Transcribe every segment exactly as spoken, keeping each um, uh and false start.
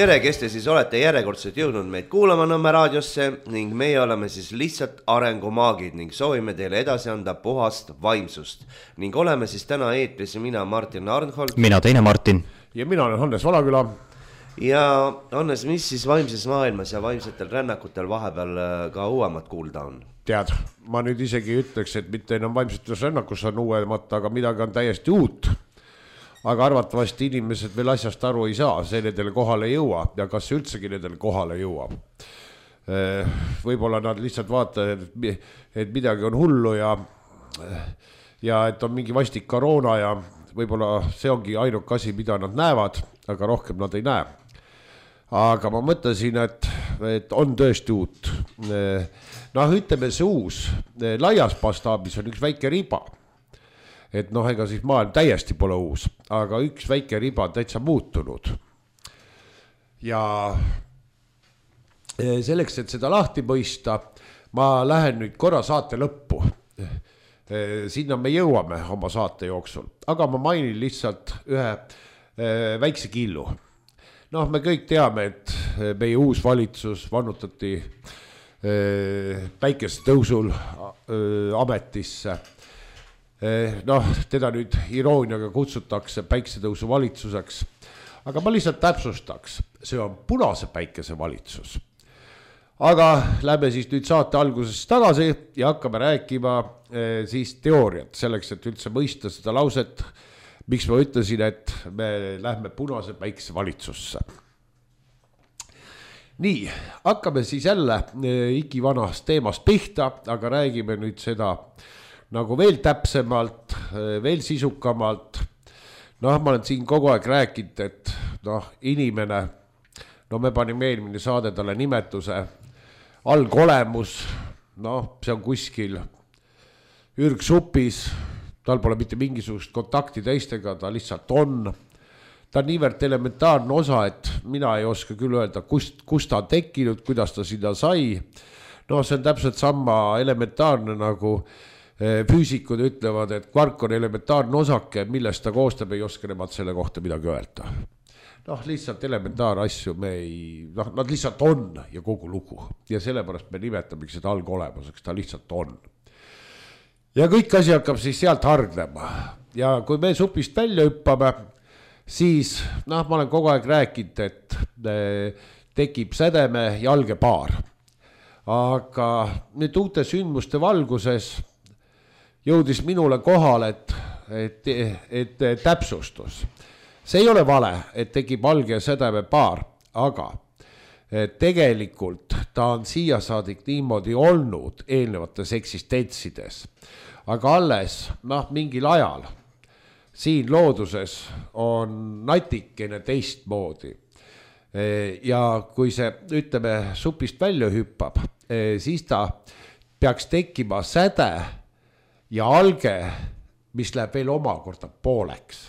tere, kes te siis olete järjekordselt jõudnud meid kuulama Nõmme raadiosse ning meie oleme siis lihtsalt arengumaagid ning soovime teile edasi anda puhast vaimsust. Ning oleme siis täna eetris mina Martin Arnhold. Mina teine Martin. Ja mina olen Hannes Valaküla. Ja Hannes, mis siis vaimses maailmas ja vaimsetel rännakutel vahepeal ka uuemat kuulda on? Tead, ma nüüd isegi ütleks, et mitte enam vaimsetes rännakus on uuemat, aga midagi on täiesti uut. Aga arvatavasti inimesed veel asjast aru ei saa, see nendele kohale ei jõua ja kas see üldsegi nendele kohale jõuab. Võib-olla nad lihtsalt vaatavad, et midagi on hullu ja, ja et on mingi vastik koroona ja võib-olla see ongi ainuk asi, mida nad näevad, aga rohkem nad ei näe. Aga ma mõtlesin, et, et on tõesti uut. Noh, ütleme see uus, laias mastaabis on üks väike riba. Et noh, ega siis maailm täiesti pole uus, aga üks väike riba on täitsa muutunud. Ja selleks, et seda lahti mõista, ma lähen nüüd korra saate lõppu. Sinna me jõuame oma saate jooksul, aga ma mainin lihtsalt ühe väikse killu. Noh, me kõik teame, et meie uus valitsus vannutati päikese tõusul ametisse. Noh, teda nüüd irooniaga kutsutakse päiksetõusu valitsuseks, aga ma lihtsalt täpsustaks, see on punase päikese valitsus. Aga lähme siis nüüd saate algusest tagasi ja hakkame rääkima siis teooriat selleks, et üldse mõista seda lauset, miks ma ütlesin, et me lähme punase päikese valitsusse. Nii, hakkame siis jälle ikivanast teemast pihta, aga räägime nüüd seda nagu veel täpsemalt, veel sisukamalt. Noh, ma olen siin kogu aeg rääkinud, et noh, inimene, no me panime eelmine saade talle nimetuse algolemus, noh, see on kuskil ürgsupis, tal pole mitte mingisugust kontakti teistega, ta lihtsalt on. Ta on niivõrd elementaarne osa, et mina ei oska küll öelda, kust, kust ta on tekkinud, kuidas ta sinna sai. No see on täpselt sama elementaarne nagu füüsikud ütlevad, et kvark on elementaarne osake, millest ta koostab, ei oska nemad selle kohta midagi öelda. Noh, lihtsalt elementaar asju me ei, noh, nad lihtsalt on ja kogu lugu. Ja sellepärast me nimetamegi seda algolemuseks, ta lihtsalt on. Ja kõik asi hakkab siis sealt hargnema. Ja kui me supist välja hüppame, siis, noh, ma olen kogu aeg rääkinud, et tekib sädeme jalge paar. Aga nüüd uute sündmuste valguses jõudis minule kohal, et, et, et täpsustus. See ei ole vale, et tekib alge ja sädeme paar, aga tegelikult ta on siia saadik niimoodi olnud eelnevates eksistentsides. Aga alles, noh, mingil ajal siin looduses on natikene teistmoodi. Ja kui see, ütleme, supist välja hüppab, siis ta peaks tekkima säde ja alge, mis läheb veel omakorda pooleks.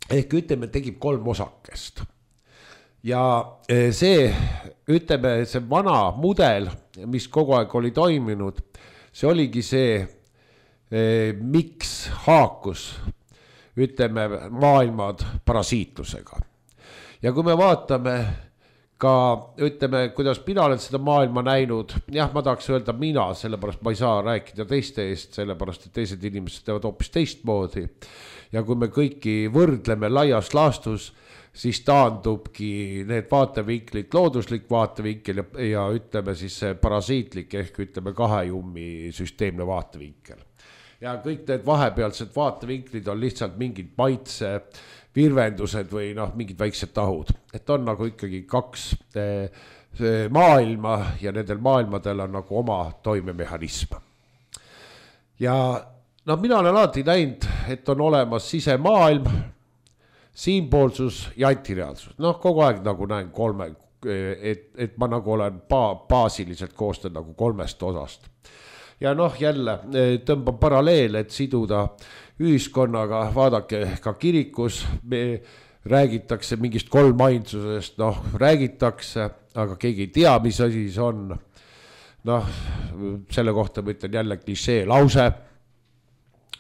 Ehk ütleme, tegib kolm osakest. Ja see, ütleme, see vana mudel, mis kogu aeg oli toiminud, see oligi see, miks haakus, ütleme, maailmad parasiitlusega. Ja kui me vaatame ka, ütleme, kuidas mina olen seda maailma näinud, jah, ma tahaks öelda mina, sellepärast ma ei saa rääkida teiste eest, sellepärast, et teised inimesed teevad hoopis teistmoodi. Ja kui me kõiki võrdleme laias laastus, siis taandubki need vaatevinklid, looduslik vaatevinkel ja, ja ütleme siis parasiitlik ehk ütleme kahejummi süsteemne vaatevinkel. Ja kõik need vahepealsed vaatevinklid on lihtsalt mingid maitse virvendused või noh, mingid väiksed tahud. Et on nagu ikkagi kaks maailma ja nendel maailmadel on nagu oma toimemehhanism. Ja no mina olen alati näinud, et on olemas sisemaailm, siinpoolsus ja antireaalsus. Noh, kogu aeg nagu näen kolme, et, et ma nagu olen ba- baasiliselt koostan nagu kolmest osast. Ja noh, jälle tõmban paralleel, et siduda ühiskonnaga, vaadake ka kirikus, me räägitakse mingist kolmainsusest, noh, räägitakse, aga keegi ei tea, mis asi see on. Noh, selle kohta ma ütlen jälle klišee lause,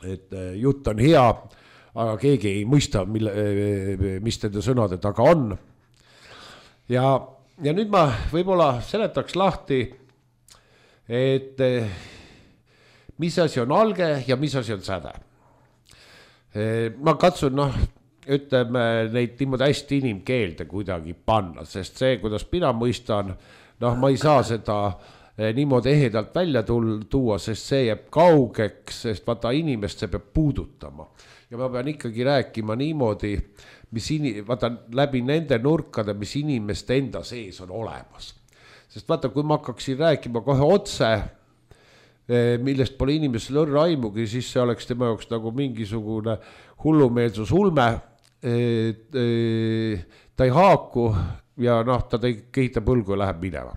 et jutt on hea, aga keegi ei mõista, mille, mis nende sõnade taga on. ja, ja nüüd ma võib-olla seletaks lahti, et mis asi on alge ja mis asi on säde. Ma katsun, noh, ütleme neid niimoodi hästi inimkeelde kuidagi panna, sest see, kuidas mina mõistan, noh, ma ei saa seda niimoodi ehedalt välja tuua, sest see jääb kaugeks, sest vaata inimest see peab puudutama. Ja ma pean ikkagi rääkima niimoodi, mis in, vaata läbi nende nurkade, mis inimeste enda sees on olemas. Sest vaata, kui ma hakkaksin rääkima kohe otse, millest pole inimesel õrra aimugi, siis see oleks tema jaoks nagu mingisugune hullumeelsus ulme. Ta ei haaku ja noh, ta kehitab põlgu ja läheb minema.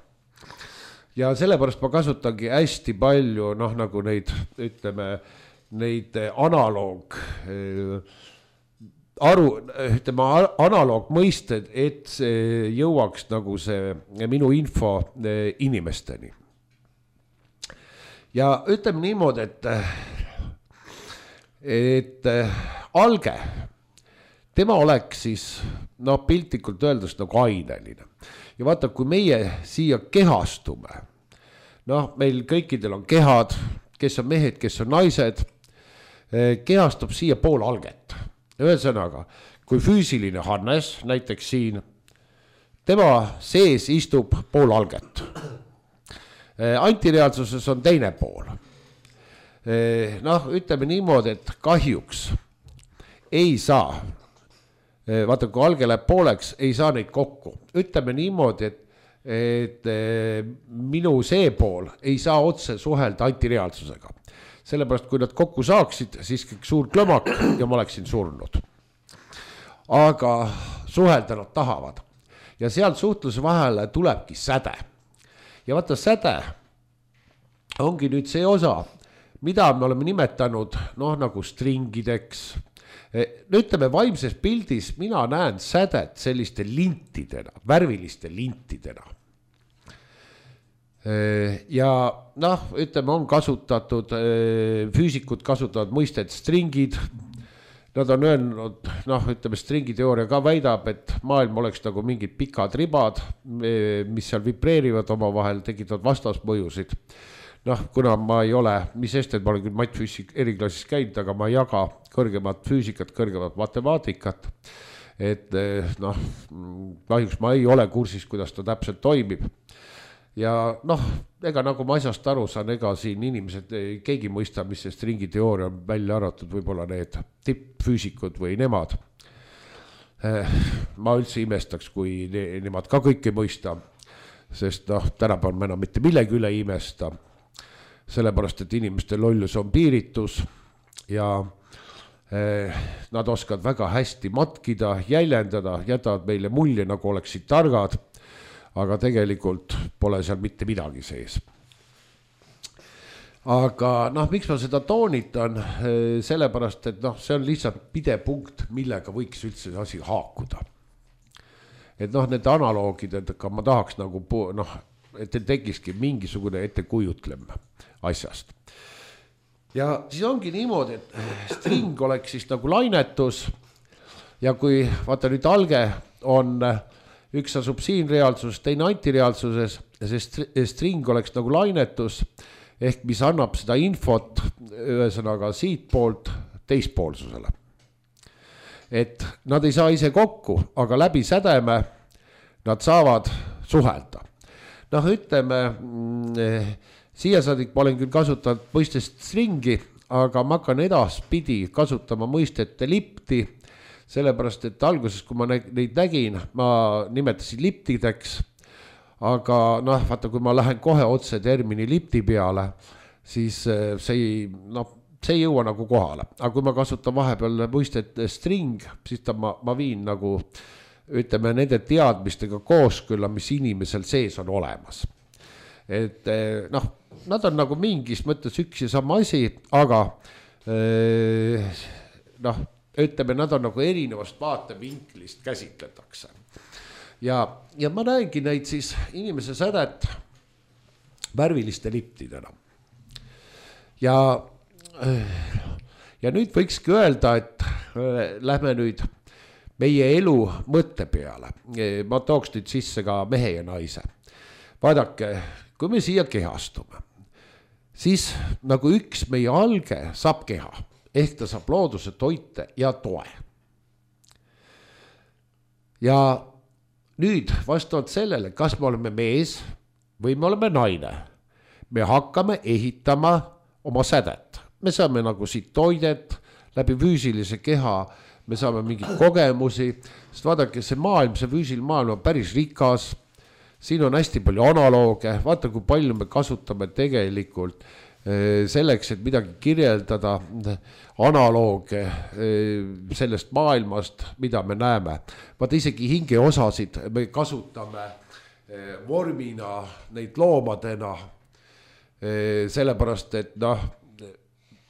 Ja sellepärast ma kasutangi hästi palju, noh, nagu neid, ütleme, neid analoog, aru, ütleme, analoog mõisted, et see jõuaks nagu see minu info inimesteni. Ja ütleme niimoodi, et, et alge, tema oleks siis, no piltlikult öeldes nagu aineline. Ja vaata, kui meie siia kehastume, noh, meil kõikidel on kehad, kes on mehed, kes on naised, kehastub siia pool alget. Ühesõnaga, kui füüsiline Hannes, näiteks siin, tema sees istub pool alget. Antireaalsuses on teine pool. Noh, ütleme niimoodi, et kahjuks ei saa, vaata, kui alge läheb pooleks, ei saa neid kokku. Ütleme niimoodi, et, et minu see pool ei saa otse suhelda antireaalsusega. Sellepärast, kui nad kokku saaksid, siis kõik suur klõmak ja ma oleksin surnud. Aga suhelda nad tahavad. Ja sealt suhtluse vahele tulebki säde. Ja vaata, säde ongi nüüd see osa, mida me oleme nimetanud, noh, nagu stringideks. Ütleme, vaimses pildis mina näen sädet selliste lintidena, värviliste lintidena. Ja noh, ütleme, on kasutatud, füüsikud kasutavad mõistet stringid. Nad on öelnud, noh, ütleme, stringiteooria ka väidab, et maailm oleks nagu mingid pikad ribad, mis seal vibreerivad oma vahel, tekitavad vastasmõjusid. Noh, kuna ma ei ole, mis sest, et ma olen küll matfüüsik eriklassis käinud, aga ma ei jaga kõrgemat füüsikat, kõrgemat matemaatikat. Et noh, kahjuks ma ei ole kursis, kuidas ta täpselt toimib. Ja noh, ega nagu ma asjast aru saan, ega siin inimesed, keegi mõista, mis see stringiteooria on välja arvatud, võib-olla need tippfüüsikud või nemad. Ma üldse imestaks, kui ne, nemad ka kõike mõista, sest noh, tänapäeval me enam mitte millegi üle imesta. Sellepärast, et inimeste lollus on piiritus ja eh, nad oskavad väga hästi matkida, jäljendada, jätavad meile mulje, nagu oleksid targad, aga tegelikult pole seal mitte midagi sees. Aga noh, miks ma seda toonitan, sellepärast, et noh, see on lihtsalt pidepunkt, millega võiks üldse asi haakuda. Et noh, need analoogid, et ma tahaks nagu, noh, et tekiski mingisugune ettekujutlem asjast. Ja siis ongi niimoodi, et string oleks siis nagu lainetus ja kui vaata nüüd alge on, üks asub siin reaalsuses, teine antireaalsuses ja see string oleks nagu lainetus ehk mis annab seda infot ühesõnaga siit poolt teispoolsusele. Et nad ei saa ise kokku, aga läbi sädeme nad saavad suhelda. Noh, ütleme, siia saadik ma olen küll kasutanud mõistest stringi, aga ma hakkan edaspidi kasutama mõistet lipti, sellepärast, et alguses, kui ma neid nägin, ma nimetasin liptideks, aga noh, vaata, kui ma lähen kohe otse termini lipti peale, siis see ei, noh, see ei jõua nagu kohale. Aga kui ma kasutan vahepeal mõistet string, siis ta ma, ma viin nagu ütleme nende teadmistega kooskõlla, mis inimesel sees on olemas. Et noh, nad on nagu mingis mõttes üks ja sama asi, aga noh, ütleme, nad on nagu erinevast vaatevinklist käsitletakse. Ja, ja ma näengi neid siis inimese sädet värviliste liptidena. Ja, ja nüüd võikski öelda, et lähme nüüd meie elu mõtte peale. Ma tooks nüüd sisse ka mehe ja naise. Vaadake, kui me siia kehastume, siis nagu üks meie alge saab keha, ehk ta saab looduse toite ja toe. Ja nüüd vastavalt sellele, kas me oleme mees või me oleme naine, me hakkame ehitama oma sädet. Me saame nagu siit toidet, läbi füüsilise keha, me saame mingeid kogemusi, sest vaadake, see maailm, see füüsiline maailm on päris rikas, siin on hästi palju analooge, vaata kui palju me kasutame tegelikult selleks, et midagi kirjeldada, analooge sellest maailmast, mida me näeme. Vaata isegi hingeosasid me kasutame vormina, neid loomadena, sellepärast, et noh,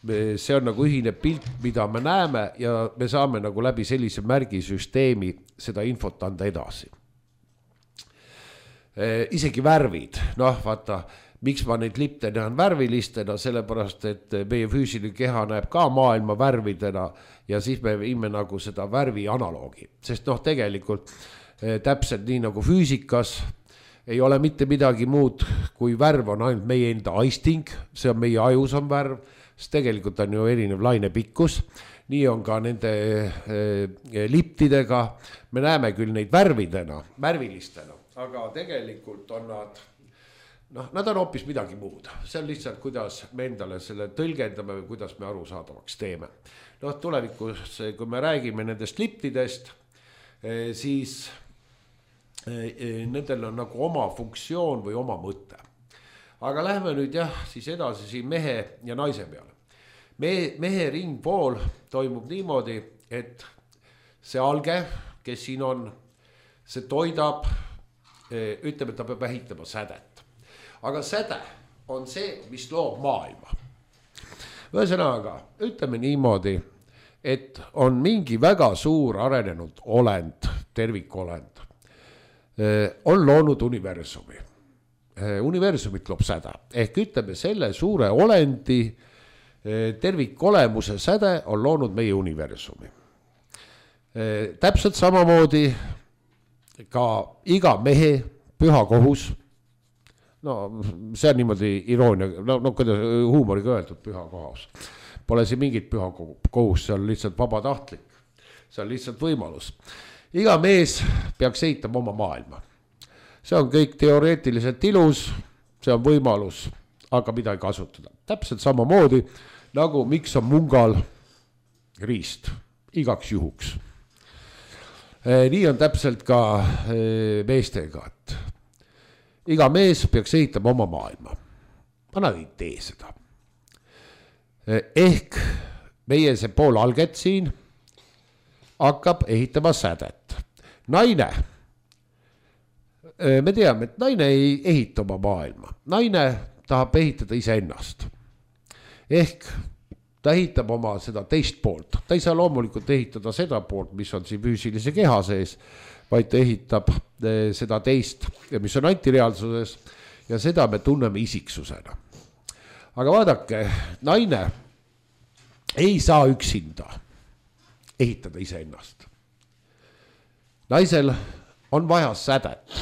see on nagu ühine pilt, mida me näeme ja me saame nagu läbi sellise märgisüsteemi seda infot anda edasi. Isegi värvid, noh vaata, miks ma neid lipte näen värvilistena, sellepärast, et meie füüsiline keha näeb ka maailma värvidena ja siis me viime nagu seda värvi analoogi, sest noh, tegelikult täpselt nii nagu füüsikas ei ole mitte midagi muud, kui värv on ainult meie enda aisting, see on meie ajus on värv, sest tegelikult on ju erinev laine pikkus, nii on ka nende liptidega, me näeme küll neid värvidena, värvilistena, aga tegelikult on nad, noh, nad on hoopis midagi muud, see on lihtsalt, kuidas me endale selle tõlgendame või kuidas me arusaadavaks teeme. Noh, tulevikus, kui me räägime nendest liptidest, siis nendel on nagu oma funktsioon või oma mõte. Aga lähme nüüd jah, siis edasi siin mehe ja naise peale. Mehe, mehe ringpool toimub niimoodi, et see alge, kes siin on, see toidab, ütleme, et ta peab ehitama sädet. Aga säde on see, mis loob maailma. Ühesõnaga, ütleme niimoodi, et on mingi väga suur arenenud olend, tervikolend, on loonud universumi. Universumit loob säde. Ehk ütleme, selle suure olendi tervikolemuse säde on loonud meie universumi. Täpselt samamoodi ka iga mehe püha kohus, no see on niimoodi iroonia, no, no kuidas huumoriga öeldud püha kohus. Pole siin mingit püha kohus, see on lihtsalt vabatahtlik, see on lihtsalt võimalus. Iga mees peaks ehitama oma maailma. See on kõik teoreetiliselt ilus, see on võimalus, aga mida ei kasutada. Täpselt samamoodi, nagu miks on mungal riist, igaks juhuks. Nii on täpselt ka meestega, et iga mees peaks ehitama oma maailma. Ma nad ei tee seda. Ehk meie see pool alget siin hakkab ehitama sädet. Naine, me teame, et naine ei ehita oma maailma. Naine tahab ehitada iseennast. Ehk ta ehitab oma seda teist poolt. Ta ei saa loomulikult ehitada seda poolt, mis on siin füüsilise keha sees, vaid ta ehitab seda teist, mis on antireaalsuses ja seda me tunneme isiksusena. Aga vaadake, naine ei saa üksinda ehitada iseennast. Naisel on vaja sädet.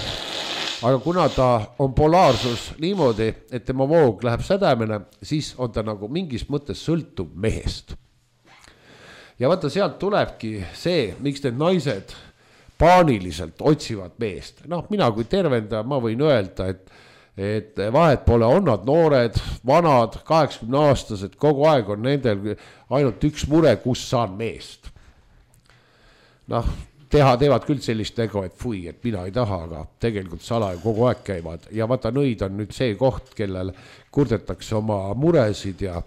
Aga kuna ta on polaarsus niimoodi, et tema voog läheb sädemene, siis on ta nagu mingis mõttes sõltub mehest. Ja vaata, sealt tulebki see, miks need naised paaniliselt otsivad meest. Noh, mina kui tervendaja, ma võin öelda, et, et vahet pole, on nad noored, vanad, kaheksakümne aastased, kogu aeg on nendel ainult üks mure, kus saan meest. Noh, teha teevad küll sellist nägu, et fui, et mina ei taha, aga tegelikult salaja kogu aeg käivad. Ja vaata, nõid on nüüd see koht, kellel kurdetakse oma muresid ja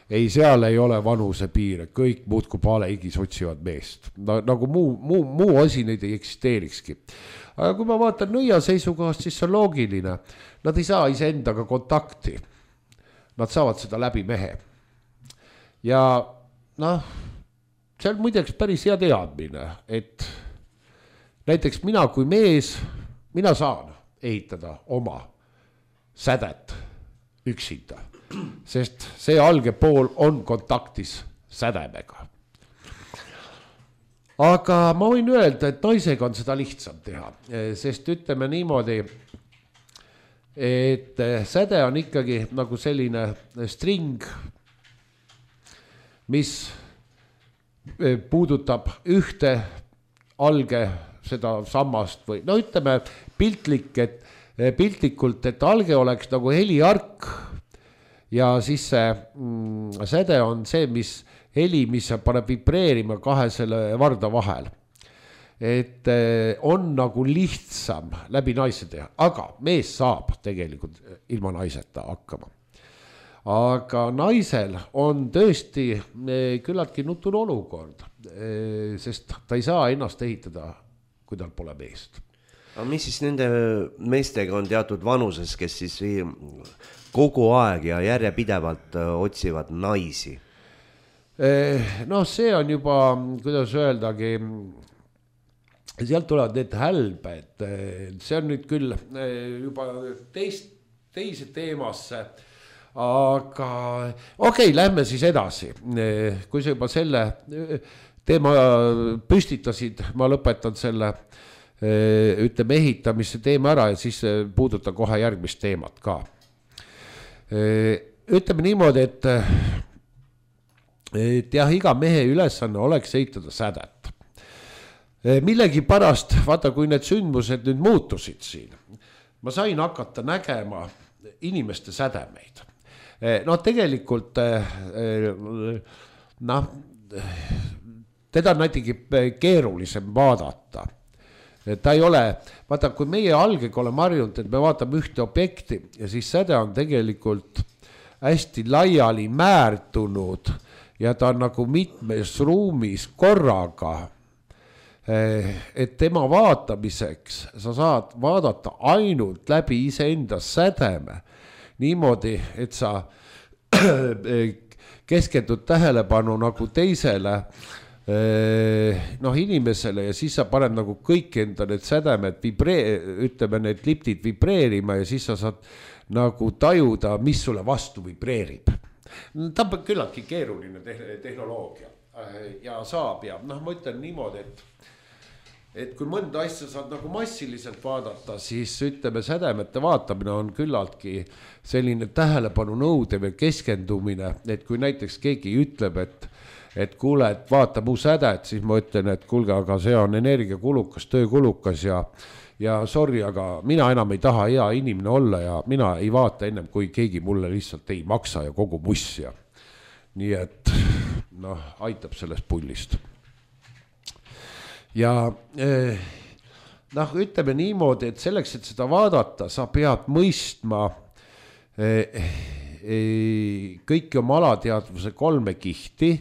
ei, seal ei ole vanuse piire, kõik muud kui paleigis otsivad meest. No, nagu muu, muu, muu asi neid ei eksisteerikski. Aga kui ma vaatan nõia seisukohast, siis see on loogiline. Nad ei saa iseendaga kontakti. Nad saavad seda läbi mehe. Ja noh, see on muideks päris hea teadmine, et näiteks mina kui mees, mina saan ehitada oma sädet üksinda, sest see alge pool on kontaktis sädemega. aga ma võin öelda, et naisega on seda lihtsam teha, sest ütleme niimoodi, et säde on ikkagi nagu selline string, mis puudutab ühte alge seda sammast või no ütleme piltlik, et piltlikult, et alge oleks nagu heliark ja siis see mm, säde on see, mis heli, mis paneb vibreerima kahe selle varda vahel. Et on nagu lihtsam läbi naise teha, aga mees saab tegelikult ilma naiseta hakkama. Aga naisel on tõesti küllaltki nutune olukord, sest ta ei saa ennast ehitada, kui tal pole meest. Aga mis siis nende meestega on teatud vanuses, kes siis kogu aeg ja järjepidevalt otsivad naisi? No see on juba, kuidas öeldagi, sealt tulevad need hälbed, see on nüüd küll juba teist, teise teemasse, aga okei, okay, lähme siis edasi. Kui sa juba selle teema püstitasid, ma lõpetan selle ütleme ehitamise teema ära ja siis puudutan kohe järgmist teemat ka. Ütleme niimoodi, et, et jah, iga mehe ülesanne oleks ehitada sädet. Millegi pärast, vaata, kui need sündmused nüüd muutusid siin, ma sain hakata nägema inimeste sädemeid. No tegelikult, noh, teda on näitegi keerulisem vaadata. Ta ei ole, vaata, kui meie algega oleme harjunud, et me vaatame ühte objekti ja siis säde on tegelikult hästi laiali määrdunud ja ta on nagu mitmes ruumis korraga. Et tema vaatamiseks sa saad vaadata ainult läbi iseenda sädeme niimoodi, et sa keskendud tähelepanu nagu teisele noh, inimesele ja siis sa paned nagu kõik enda need sädemed vibree-, ütleme need liptid vibreerima ja siis sa saad nagu tajuda, mis sulle vastu vibreerib. Ta on küllaltki keeruline tehnoloogia ja saab ja noh, ma ütlen niimoodi, et et kui mõnda asja saad nagu massiliselt vaadata, siis ütleme sädemete vaatamine on küllaltki selline tähelepanu nõudev ja keskendumine, et kui näiteks keegi ütleb, et et kuule, et vaata mu sädet, siis ma ütlen, et kuulge, aga see on energiakulukas, töökulukas ja ja sorry, aga mina enam ei taha hea inimene olla ja mina ei vaata ennem, kui keegi mulle lihtsalt ei maksa ja kogu muss ja nii et noh, aitab sellest pullist. Ja eh, noh, ütleme niimoodi, et selleks, et seda vaadata, sa pead mõistma eh, eh, kõiki oma alateadvuse kolme kihti,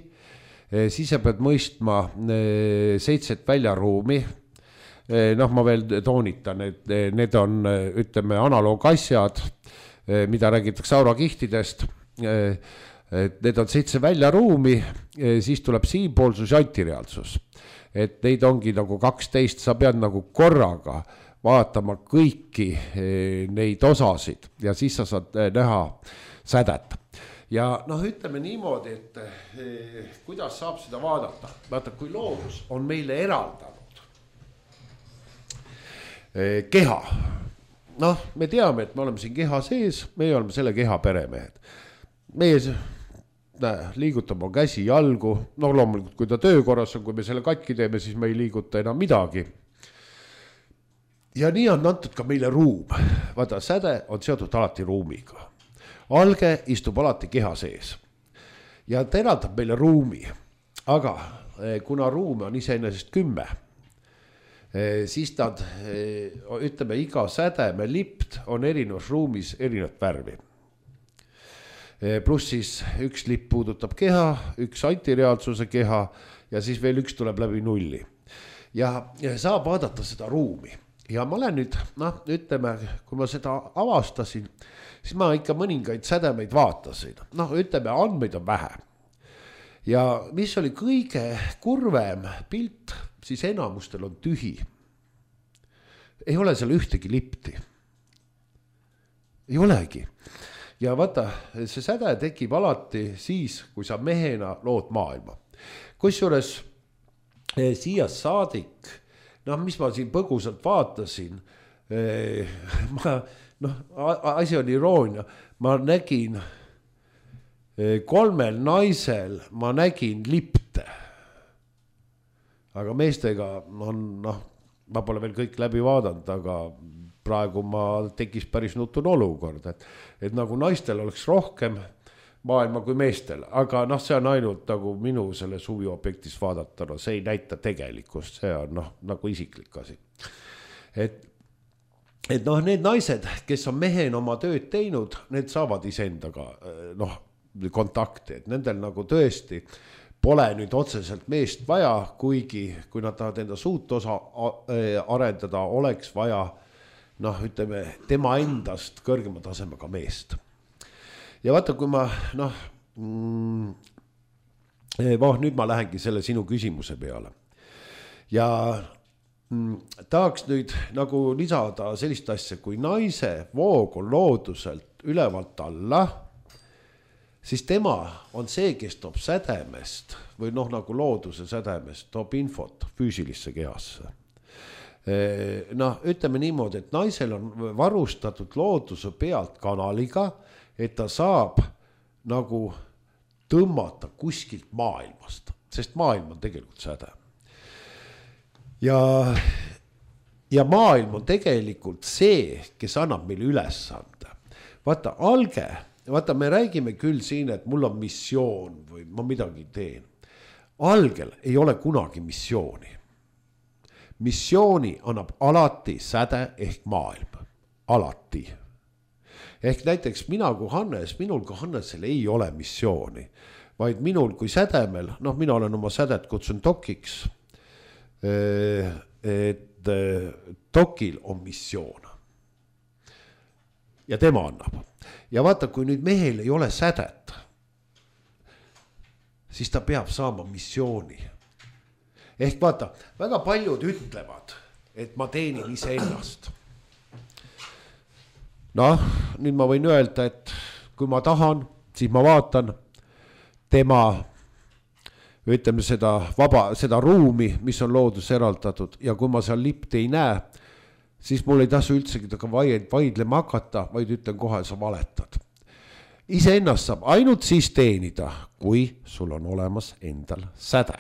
eh, siis sa pead mõistma eh, seitset väljaruumi, eh, noh, ma veel toonitan, et eh, need on, ütleme, analoogasjad, eh, mida räägitakse aurakihtidest, eh, et need on seitse väljaruumi, eh, siis tuleb siinpoolsus ja antireaalsus. Et neid ongi nagu kaksteist, sa pead nagu korraga vaatama kõiki neid osasid ja siis sa saad näha sädet. Ja noh, ütleme niimoodi, et kuidas saab seda vaadata. Vaata, kui loodus on meile eraldanud keha. Noh, me teame, et me oleme siin keha sees, meie oleme selle keha peremehed. Meie Näe, liigutama käsi, jalgu, no loomulikult, kui ta töökorras on, kui me selle katki teeme, siis me ei liiguta enam midagi. Ja nii on antud ka meile ruum. Vaata, säde on seotud alati ruumiga. Alge istub alati keha sees. Ja ta eraldab meile ruumi. Aga kuna ruum on iseenesest kümme, siis nad, ütleme, iga sädeme lipt on erinevas ruumis erinevat värvi. Pluss siis üks lipp puudutab keha, üks antireaalsuse keha ja siis veel üks tuleb läbi nulli. Ja, ja saab vaadata seda ruumi. Ja ma olen nüüd, noh, ütleme, kui ma seda avastasin, siis ma ikka mõningaid sädemeid vaatasin. Noh, ütleme, andmeid on vähe. Ja mis oli kõige kurvem pilt, siis enamustel on tühi. Ei ole seal ühtegi lipti. Ei olegi. Ja vaata, see säde tekib alati siis, kui sa mehena lood maailma. Kusjuures siia saadik, noh, mis ma siin põgusalt vaatasin, ma, noh, asi on iroonia, ma nägin kolmel naisel, ma nägin lipte. Aga meestega on, noh, ma pole veel kõik läbi vaadanud, aga praegu ma tekkis päris nutun olukord, et, et nagu naistel oleks rohkem maailma kui meestel, aga noh, see on ainult nagu minu selle suvi objektis vaadata, no see ei näita tegelikkust, see on noh, nagu isiklik asi. Et, et noh, need naised, kes on mehena oma tööd teinud, need saavad iseendaga noh, kontakti, et nendel nagu tõesti pole nüüd otseselt meest vaja, kuigi kui nad tahavad enda suut osa arendada, oleks vaja noh, ütleme, tema endast kõrgema tasemega meest. Ja vaata, kui ma noh, mm, voh, nüüd ma lähengi selle sinu küsimuse peale. Ja mm, tahaks nüüd nagu lisada sellist asja, kui naise voog on looduselt ülevalt alla, siis tema on see, kes toob sädemest või noh, nagu looduse sädemest, toob infot füüsilisse kehasse. Noh, ütleme niimoodi, et naisel on varustatud looduse pealt kanaliga, et ta saab nagu tõmmata kuskilt maailmast, sest maailm on tegelikult säde. Ja, ja maailm on tegelikult see, kes annab meile ülesande. Vaata, alge, vaata, me räägime küll siin, et mul on missioon või ma midagi teen. Algel ei ole kunagi missiooni. Missiooni annab alati säde ehk maailm. Alati. Ehk näiteks mina kui Hannes, minul kui Hannesel ei ole missiooni, vaid minul kui sädemel, noh, mina olen oma sädet kutsun dokiks, et dokil on missioon. Ja tema annab. Ja vaata, kui nüüd mehel ei ole sädet, siis ta peab saama missiooni. Ehk vaata, väga paljud ütlevad, et ma teenin ise ennast. Noh, nüüd ma võin öelda, et kui ma tahan, siis ma vaatan tema, ütleme seda vaba, seda ruumi, mis on loodus eraldatud, ja kui ma seal lipti ei näe, siis mul ei tasu üldsegi taga vaidlema hakata, vaid ütlen kohe, sa valetad. Ise ennast saab ainult siis teenida, kui sul on olemas endal säde.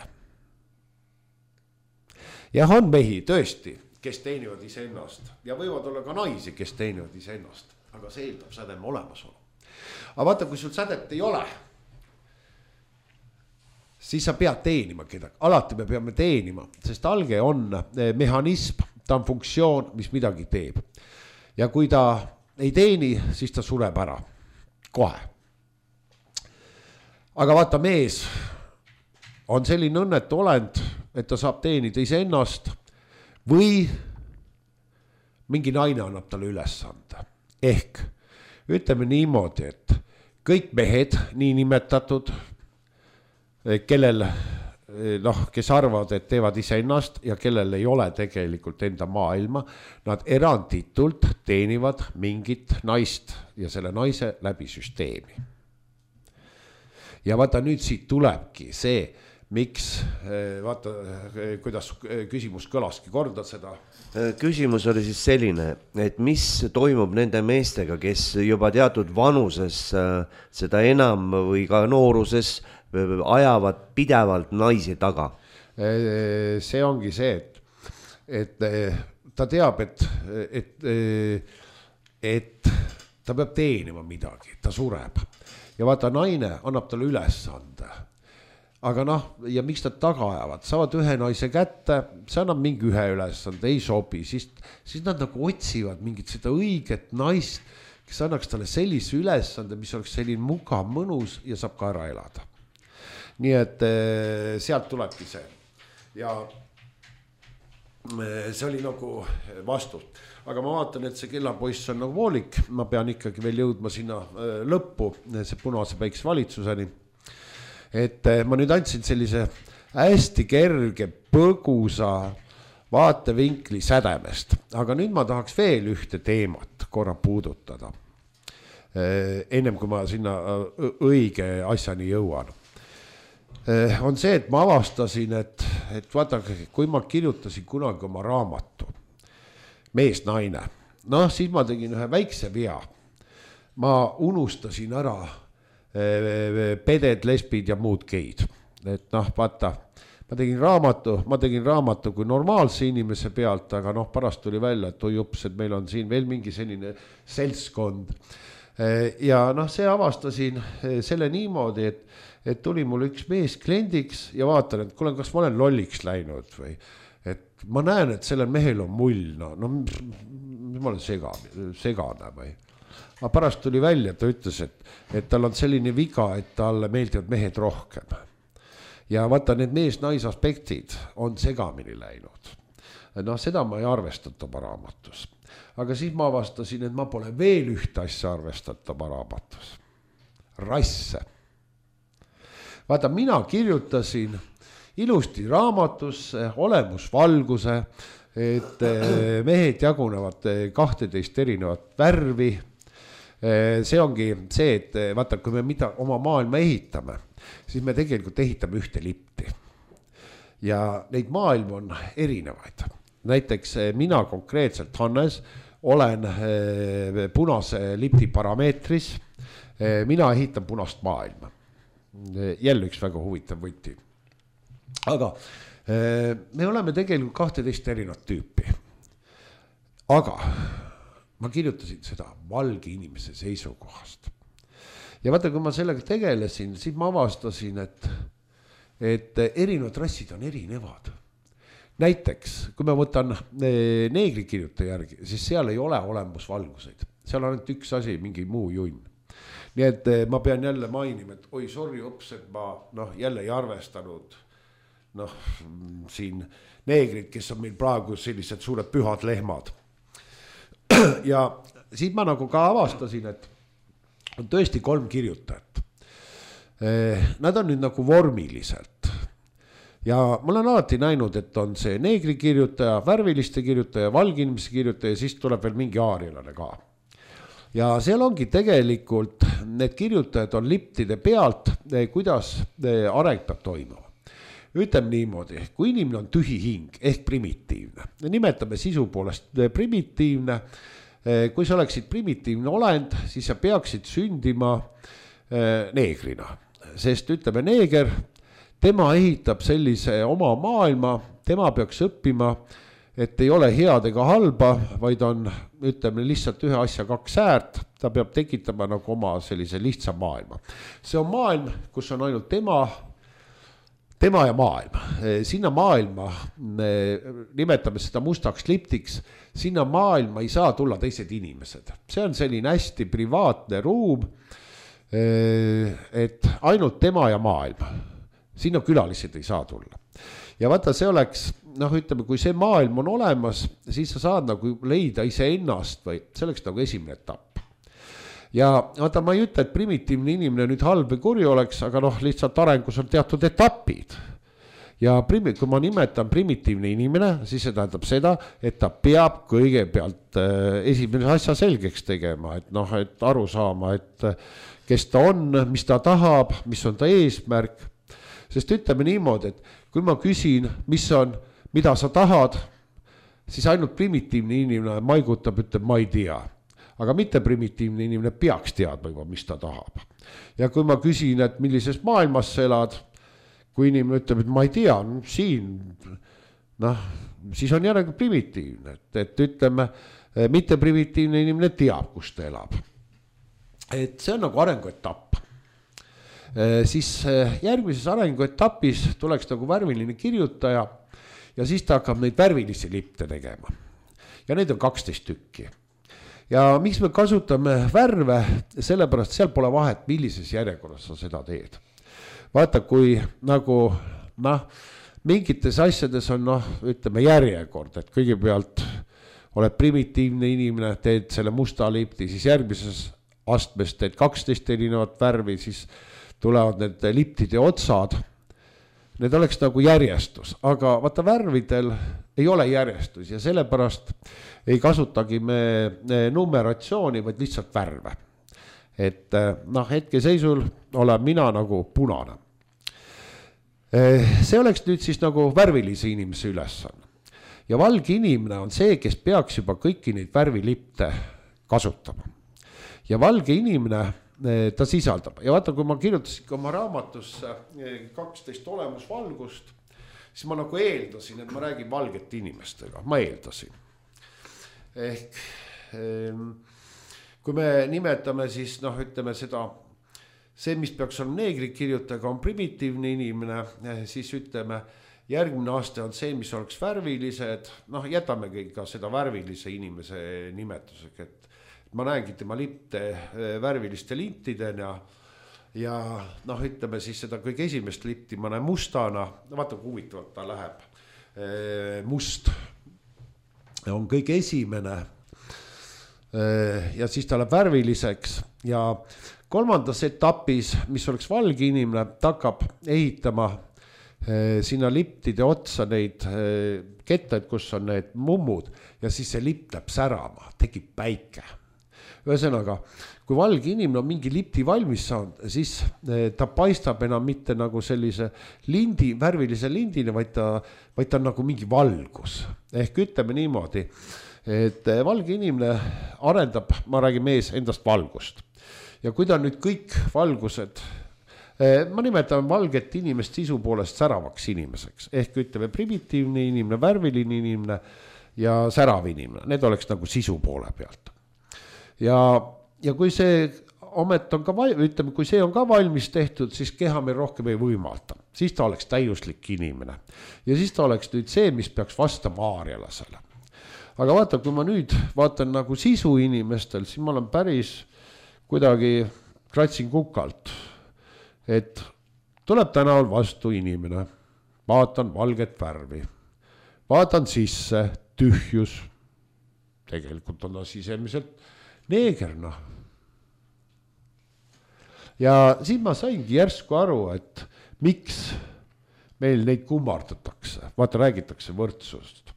Ja on mehi tõesti, kes teenivad ise ennast ja võivad olla ka naisi, kes teenivad ise ennast, aga see eeldab sädeme olemasolu. Aga vaata, kui sul sädet ei ole, siis sa pead teenima kedagi. Alati me peame teenima, sest alge on mehhanism, ta on funktsioon, mis midagi teeb. Ja kui ta ei teeni, siis ta sureb ära. Kohe. Aga vaata, mees on selline õnnetu olend, et ta saab teenida ise ennast või mingi naine annab talle ülesande. Ehk ütleme niimoodi, et kõik mehed, nii nimetatud, kellel, noh, kes arvavad, et teevad ise ennast ja kellel ei ole tegelikult enda maailma, nad eranditult teenivad mingit naist ja selle naise läbi süsteemi. Ja vaata, nüüd siit tulebki see, miks, vaata, kuidas küsimus kõlaski, korda seda. Küsimus oli siis selline, et mis toimub nende meestega, kes juba teatud vanuses seda enam või ka nooruses ajavad pidevalt naisi taga? See ongi see, et, et ta teab, et, et, et ta peab teenima midagi, ta sureb. Ja vaata, naine annab talle ülesande. Aga noh, ja miks nad taga ajavad, saavad ühe naise kätte, see annab mingi ühe ülesande, ei sobi, siis, siis nad nagu otsivad mingit seda õiget naist, kes annaks talle sellise ülesande, mis oleks selline mugav, mõnus ja saab ka ära elada. Nii et sealt tulebki see. Ja see oli nagu vastus. Aga ma vaatan, et see kellapoiss on nagu voolik, ma pean ikkagi veel jõudma sinna lõppu, see punase päikse valitsuseni. Et ma nüüd andsin sellise hästi kerge, põgusa vaatevinkli sädemest. Aga nüüd ma tahaks veel ühte teemat korra puudutada. Ennem kui ma sinna õige asjani jõuan. On see, et ma avastasin, et, et vaadake, kui ma kirjutasin kunagi oma raamatu Mees, naine, noh siis ma tegin ühe väikse vea. Ma unustasin ära peded, lesbid ja muud geid. Et noh, vaata, ma tegin raamatu, ma tegin raamatu kui normaalse inimese pealt, aga noh, pärast tuli välja, et oi ups, et meil on siin veel mingi selline seltskond. Ja noh, see avastasin selle niimoodi, et, et tuli mul üks mees kliendiks ja vaatan, et kuule, kas ma olen lolliks läinud või et ma näen, et sellel mehel on mull, no, no ma olen sega, segane või. Aga pärast tuli välja, ta ütles, et, et tal on selline viga, et talle meeldivad mehed rohkem. Ja vaata, need mees-nais aspektid on segamini läinud. Noh, seda ma ei arvestata raamatus. Aga siis ma avastasin, et ma pole veel ühte asja arvestata raamatus. Rasse. Vaata, mina kirjutasin ilusti raamatusse, olemusvalguse, et mehed jagunevad kahteteist erinevat värvi. See ongi see, et vaata, kui me mida oma maailma ehitame, siis me tegelikult ehitame ühte lipti. Ja neid maailm on erinevaid. Näiteks mina konkreetselt, Hannes, olen punase lipti parameetris. Mina ehitan punast maailma. Jälle üks väga huvitav võti. Aga me oleme tegelikult kahteteist erinevat tüüpi. Aga ma kirjutasin seda valge inimese seisukohast. Ja vaata, kui ma sellega tegelesin, siis ma avastasin, et, et erinevad rassid on erinevad. Näiteks, kui ma võtan neegri kirjutaja järgi, siis seal ei ole olemusvalguseid. Seal on ainult üks asi, mingi muu junn. Nii et ma pean jälle mainima, et oi, sorry, ops, et ma noh, jälle ei arvestanud noh, siin neegrid, kes on meil praegu sellised suured pühad lehmad. Ja siis ma nagu ka avastasin, et on tõesti kolm kirjutajat. Nad on nüüd nagu vormiliselt. Ja ma olen alati näinud, et on see neegri kirjutaja, värviliste kirjutaja, valginimese kirjutaja ja siis tuleb veel mingi aarilane ka. Ja seal ongi tegelikult, need kirjutajad on liptide pealt, kuidas areng peab toimuma. Ütleme niimoodi, kui inimene on tühi hing ehk primitiivne, nimetame sisu poolest primitiivne, kui sa oleksid primitiivne olend, siis sa peaksid sündima neegrina, sest ütleme neeger, tema ehitab sellise oma maailma, tema peaks õppima, et ei ole head ega halba, vaid on, ütleme lihtsalt ühe asja kaks äärt, ta peab tekitama nagu oma sellise lihtsa maailma. See on maailm, kus on ainult tema, tema ja maailm. Sinna maailma, nimetame seda mustaks liptiks, sinna maailma ei saa tulla teised inimesed. See on selline hästi privaatne ruum, et ainult tema ja maailm. Sinna külalised ei saa tulla. Ja vaata, see oleks, noh ütleme, kui see maailm on olemas, siis sa saad nagu leida ise ennast või see oleks nagu esimene etapp. Ja vaata, ma ei ütle, et primitiivne inimene nüüd halb või kuri oleks, aga noh, lihtsalt arengus on teatud etapid. Ja primi, kui ma nimetan primitiivne inimene, siis see tähendab seda, et ta peab kõigepealt esimene asja selgeks tegema, et noh, et aru saama, et kes ta on, mis ta tahab, mis on ta eesmärk. Sest ütleme niimoodi, et kui ma küsin, mis on, mida sa tahad, siis ainult primitiivne inimene maigutab, ütleb, ma ei tea. Aga mitte primitiivne inimene peaks teadma juba, mis ta tahab. Ja kui ma küsin, et millises maailmas sa elad, kui inimene ütleb, et ma ei tea, no, siin, noh, siis on järelikult primitiivne. Et, et ütleme, mitte primitiivne inimene teab, kus ta elab. Et see on nagu arenguetapp. Siis järgmises arenguetapis tuleks nagu värviline kirjutaja ja siis ta hakkab neid värvilisi lipte tegema. Ja neid on kaksteist tükki. Ja miks me kasutame värve, sellepärast seal pole vahet, millises järjekorras sa seda teed. Vaata, kui nagu, noh, mingites asjades on, noh, ütleme järjekord, et kõigepealt oled primitiivne inimene, teed selle musta lipti, siis järgmises astmes teed kaksteist erinevat värvi, siis tulevad need liptide otsad. Need oleks nagu järjestus, aga vaata värvidel ei ole järjestus ja sellepärast ei kasutagi me numeratsiooni, vaid lihtsalt värve. Et noh, hetke seisul olen mina nagu punane. see oleks nüüd siis nagu värvilise inimese ülesanne. Ja valge inimene on see, kes peaks juba kõiki neid värvilipte kasutama. Ja valge inimene ta sisaldab. Ja vaata, kui ma kirjutasin oma raamatusse kaksteist olemusvalgust, siis ma nagu eeldasin, et ma räägin valgete inimestega. Ma eeldasin. Ehk kui me nimetame siis, noh, ütleme seda, see, mis peaks olema neegri kirjutajaga, on primitiivne inimene, siis ütleme, järgmine aasta on see, mis oleks värvilised, noh, jätamegi ka seda värvilise inimese nimetusega, et ma näengi tema lipte värviliste lintidena ja noh, ütleme siis seda kõige esimest lipti ma näen mustana, vaata kui huvitavalt ta läheb, must on kõige esimene ja siis ta läheb värviliseks ja kolmandas etapis, mis oleks valge inimene, ta hakkab ehitama sinna liptide otsa neid kettaid, kus on need mummud ja siis see lipt läheb särama, tekib päike. Ühesõnaga, kui valge inimene on mingi lipti valmis saanud, siis ta paistab enam mitte nagu sellise lindi, värvilise lindina, vaid ta, vaid ta on nagu mingi valgus. Ehk ütleme niimoodi, et valge inimene arendab, ma räägin mees endast valgust. Ja kui ta nüüd kõik valgused, ma nimetan valget inimest sisu poolest säravaks inimeseks, ehk ütleme primitiivne inimene, värviline inimene ja särav inimene, need oleks nagu sisu poole pealt. Ja, ja kui see omet on ka, ütleme, kui see on ka valmis tehtud, siis keha meil rohkem ei võimalda, siis ta oleks täiuslik inimene ja siis ta oleks nüüd see, mis peaks vastama aarialasele. Aga vaata, kui ma nüüd vaatan nagu sisu inimestel, siis ma olen päris kuidagi kratsin kukalt, et tuleb tänaval vastu inimene, vaatan valget värvi, vaatan sisse, tühjus, tegelikult on ta sisemiselt neegerna. Ja siis ma saingi järsku aru, et miks meil neid kummardatakse, vaata räägitakse võrdsust,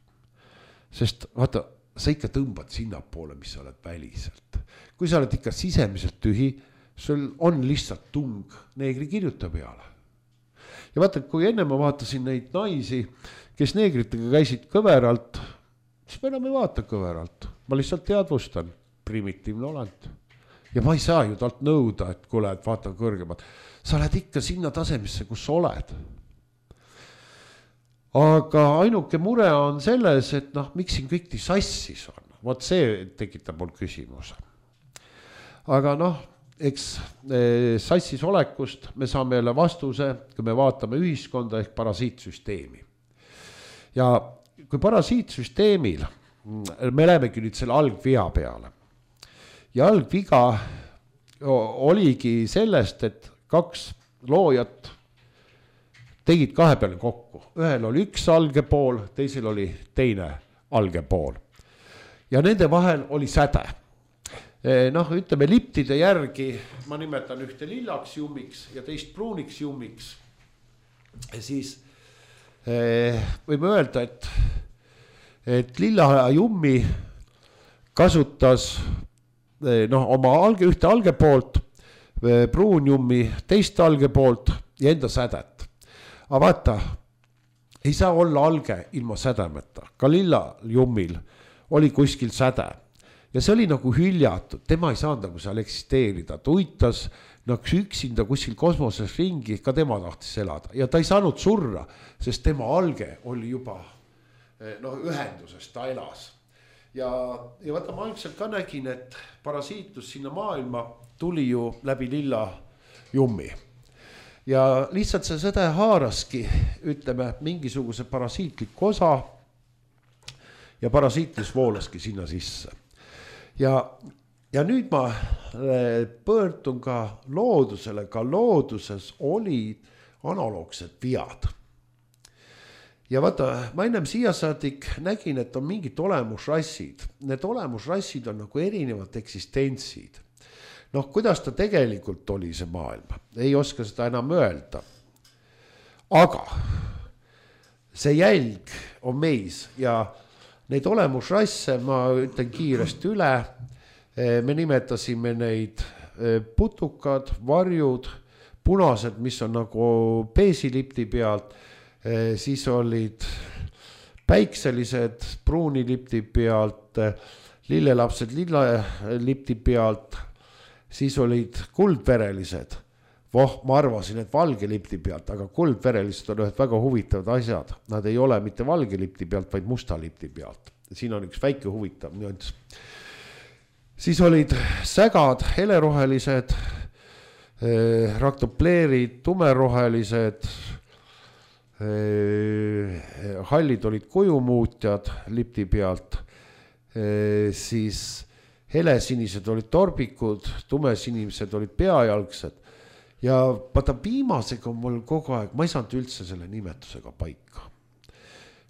sest vaata, sa ikka tõmbad sinna poole, mis sa oled väliselt. Kui sa oled ikka sisemiselt tühi, sul on lihtsalt tung neegri kirjuta peale. Ja vaata, kui enne ma vaatasin neid naisi, kes neegritega käisid kõveralt, siis ma enam ei vaata kõveralt. Ma lihtsalt teadvustan, primitiivne olend. Ja ma ei saa ju talt nõuda, et kuule, et vaata kõrgemad. Sa oled ikka sinna tasemisse, kus sa oled. Aga ainuke mure on selles, et noh, miks siin kõik nii sassis on. Vot see tekitab mul küsimuse. Aga noh, eks sassis olekust me saame jälle vastuse, kui me vaatame ühiskonda ehk parasiitsüsteemi. Ja kui parasiitsüsteemil, me lähemegi nüüd selle algvia peale. Ja algviga oligi sellest, et kaks loojat tegid kahe peale kokku. Ühel oli üks alge pool, teisel oli teine alge pool. Ja nende vahel oli säde. Noh, ütleme liptide järgi, ma nimetan ühte lillaks jummiks ja teist pruuniks jummiks. Siis võime öelda, et, et lilla jummi kasutas noh, oma alge, ühte alge poolt, pruun jummi teist alge poolt ja enda sädet. Aga vaata, ei saa olla alge ilma sädemeta. Ka lilla jummil oli kuskil säde. Ja see oli nagu hüljatud, tema ei saanud nagu seal eksisteerida. Ta uitas nagu üksinda kuskil kosmoses ringi, ka tema tahtis elada. Ja ta ei saanud surra, sest tema alge oli juba no, ühenduses, ta elas. Ja, ja vaata, ma algselt ka nägin, et parasiitlus sinna maailma tuli ju läbi lilla jummi. Ja lihtsalt see sõde haaraski, ütleme, mingisuguse parasiitlik osa ja parasiitlus voolaski sinna sisse. Ja, ja nüüd ma pöördun ka loodusele, ka looduses olid analoogsed viad. Ja vaata, ma ennem siia saadik nägin, et on mingid olemusrassid. Need olemusrassid on nagu erinevad eksistentsid. Noh, kuidas ta tegelikult oli see maailm? Ei oska seda enam öelda. Aga see jälg on meis ja neid olemusrasse, ma ütlen kiiresti üle, me nimetasime neid putukad, varjud, punased, mis on nagu peesilipti pealt, siis olid päikselised pruunilipti pealt, lillelapsed lillelipti pealt, siis olid kuldverelised. Voh, ma arvasin, et valge lipti pealt, aga kuldverelised on ühed väga huvitavad asjad. Nad ei ole mitte valge lipti pealt, vaid musta lipti pealt. Siin on üks väike huvitav nüanss. Siis olid sägad, helerohelised, eh, raktopleerid, tumerohelised, eh, hallid olid kujumuutjad lipti pealt, eh, siis helesinised olid torbikud, tumesinised olid peajalgsed. Ja vaata viimasega on mul kogu aeg, ma ei saanud üldse selle nimetusega paika.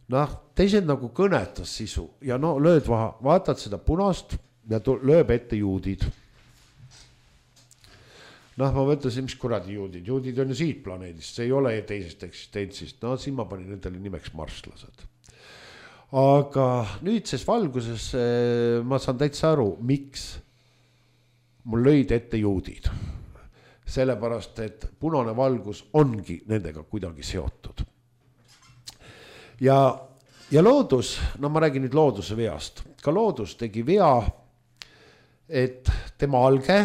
Noh, teised nagu kõnetas sisu ja no lööd vaha, vaatad seda punast ja lööb ette juudid. Noh, ma mõtlesin, mis kuradi juudid, juudid on ju siit planeedist, see ei ole teisest eksistentsist, no siin ma panin nendele nimeks marslased. Aga nüüdses valguses ma saan täitsa aru, miks mul lõid ette juudid. Sellepärast, et punane valgus ongi nendega kuidagi seotud. Ja, ja loodus, no ma räägin nüüd looduse veast, ka loodus tegi vea, et tema alge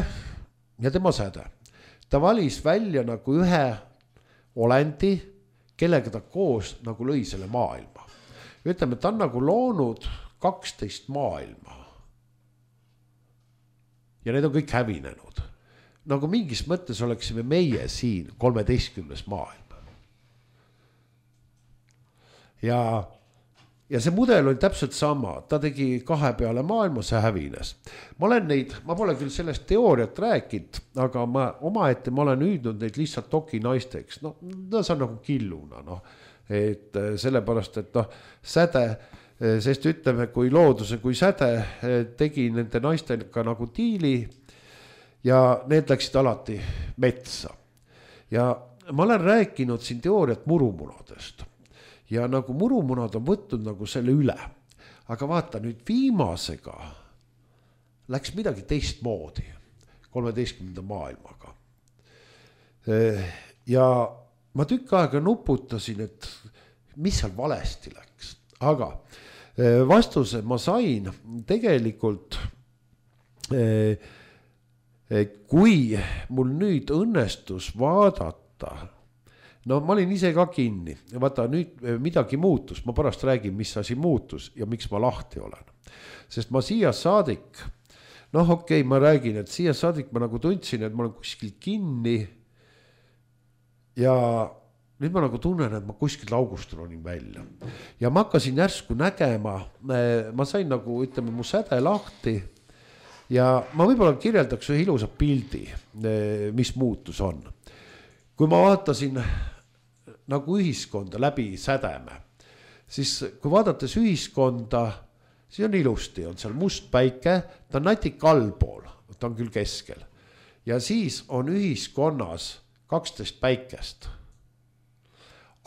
ja tema säde. Ta valis välja nagu ühe olendi, kellega ta koos nagu lõi selle maailma. Ütleme, ta on nagu loonud kaksteist maailma. Ja need on kõik hävinenud. Nagu mingis mõttes oleksime meie siin kolmeteistkümnes maailma. Ja, ja see mudel oli täpselt sama, ta tegi kahe peale maailma, see hävines. Ma olen neid, ma pole küll sellest teooriat rääkinud, aga ma omaette ma olen hüüdnud neid lihtsalt toki naisteks. No, no see on nagu killuna, no. Et sellepärast, et noh, säde, sest ütleme, kui looduse, kui säde tegi nende naistega nagu diili, ja need läksid alati metsa. Ja ma olen rääkinud siin teooriat murumunadest. Ja nagu murumunad on võtnud nagu selle üle. Aga vaata nüüd viimasega läks midagi teistmoodi kolmeteistkümnenda maailmaga. Ja ma tükk aega nuputasin, et mis seal valesti läks. Aga vastuse ma sain tegelikult kui mul nüüd õnnestus vaadata, no ma olin ise ka kinni, vaata nüüd midagi muutus, ma pärast räägin, mis asi muutus ja miks ma lahti olen. Sest ma siia saadik, noh okei, okay, ma räägin, et siia saadik ma nagu tundsin, et ma olen kuskil kinni ja nüüd ma nagu tunnen, et ma kuskil august ronin välja. Ja ma hakkasin järsku nägema, ma sain nagu, ütleme, mu säde lahti. Ja ma võib-olla kirjeldaks ühe ilusa pildi, mis muutus on. Kui ma vaatasin nagu ühiskonda läbi sädeme, siis kui vaadates ühiskonda, siis on ilusti, on seal must päike, ta on natik allpool, ta on küll keskel. Ja siis on ühiskonnas kaksteist päikest.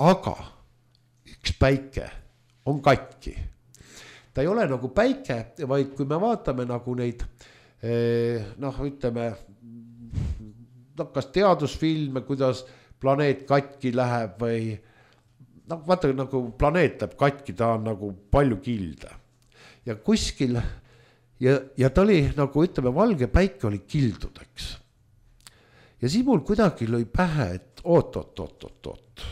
Aga üks päike on katki. Ta ei ole nagu päike, vaid kui me vaatame nagu neid, noh, ütleme, kas teadusfilme, kuidas planeet katki läheb või, noh, vaata nagu planeet läheb katki, ta on nagu palju kilde. Ja kuskil, ja, ja ta oli nagu, ütleme, valge päike oli kildudeks. Ja siis mul kuidagi lõi pähe, et oot, oot, oot, oot, oot.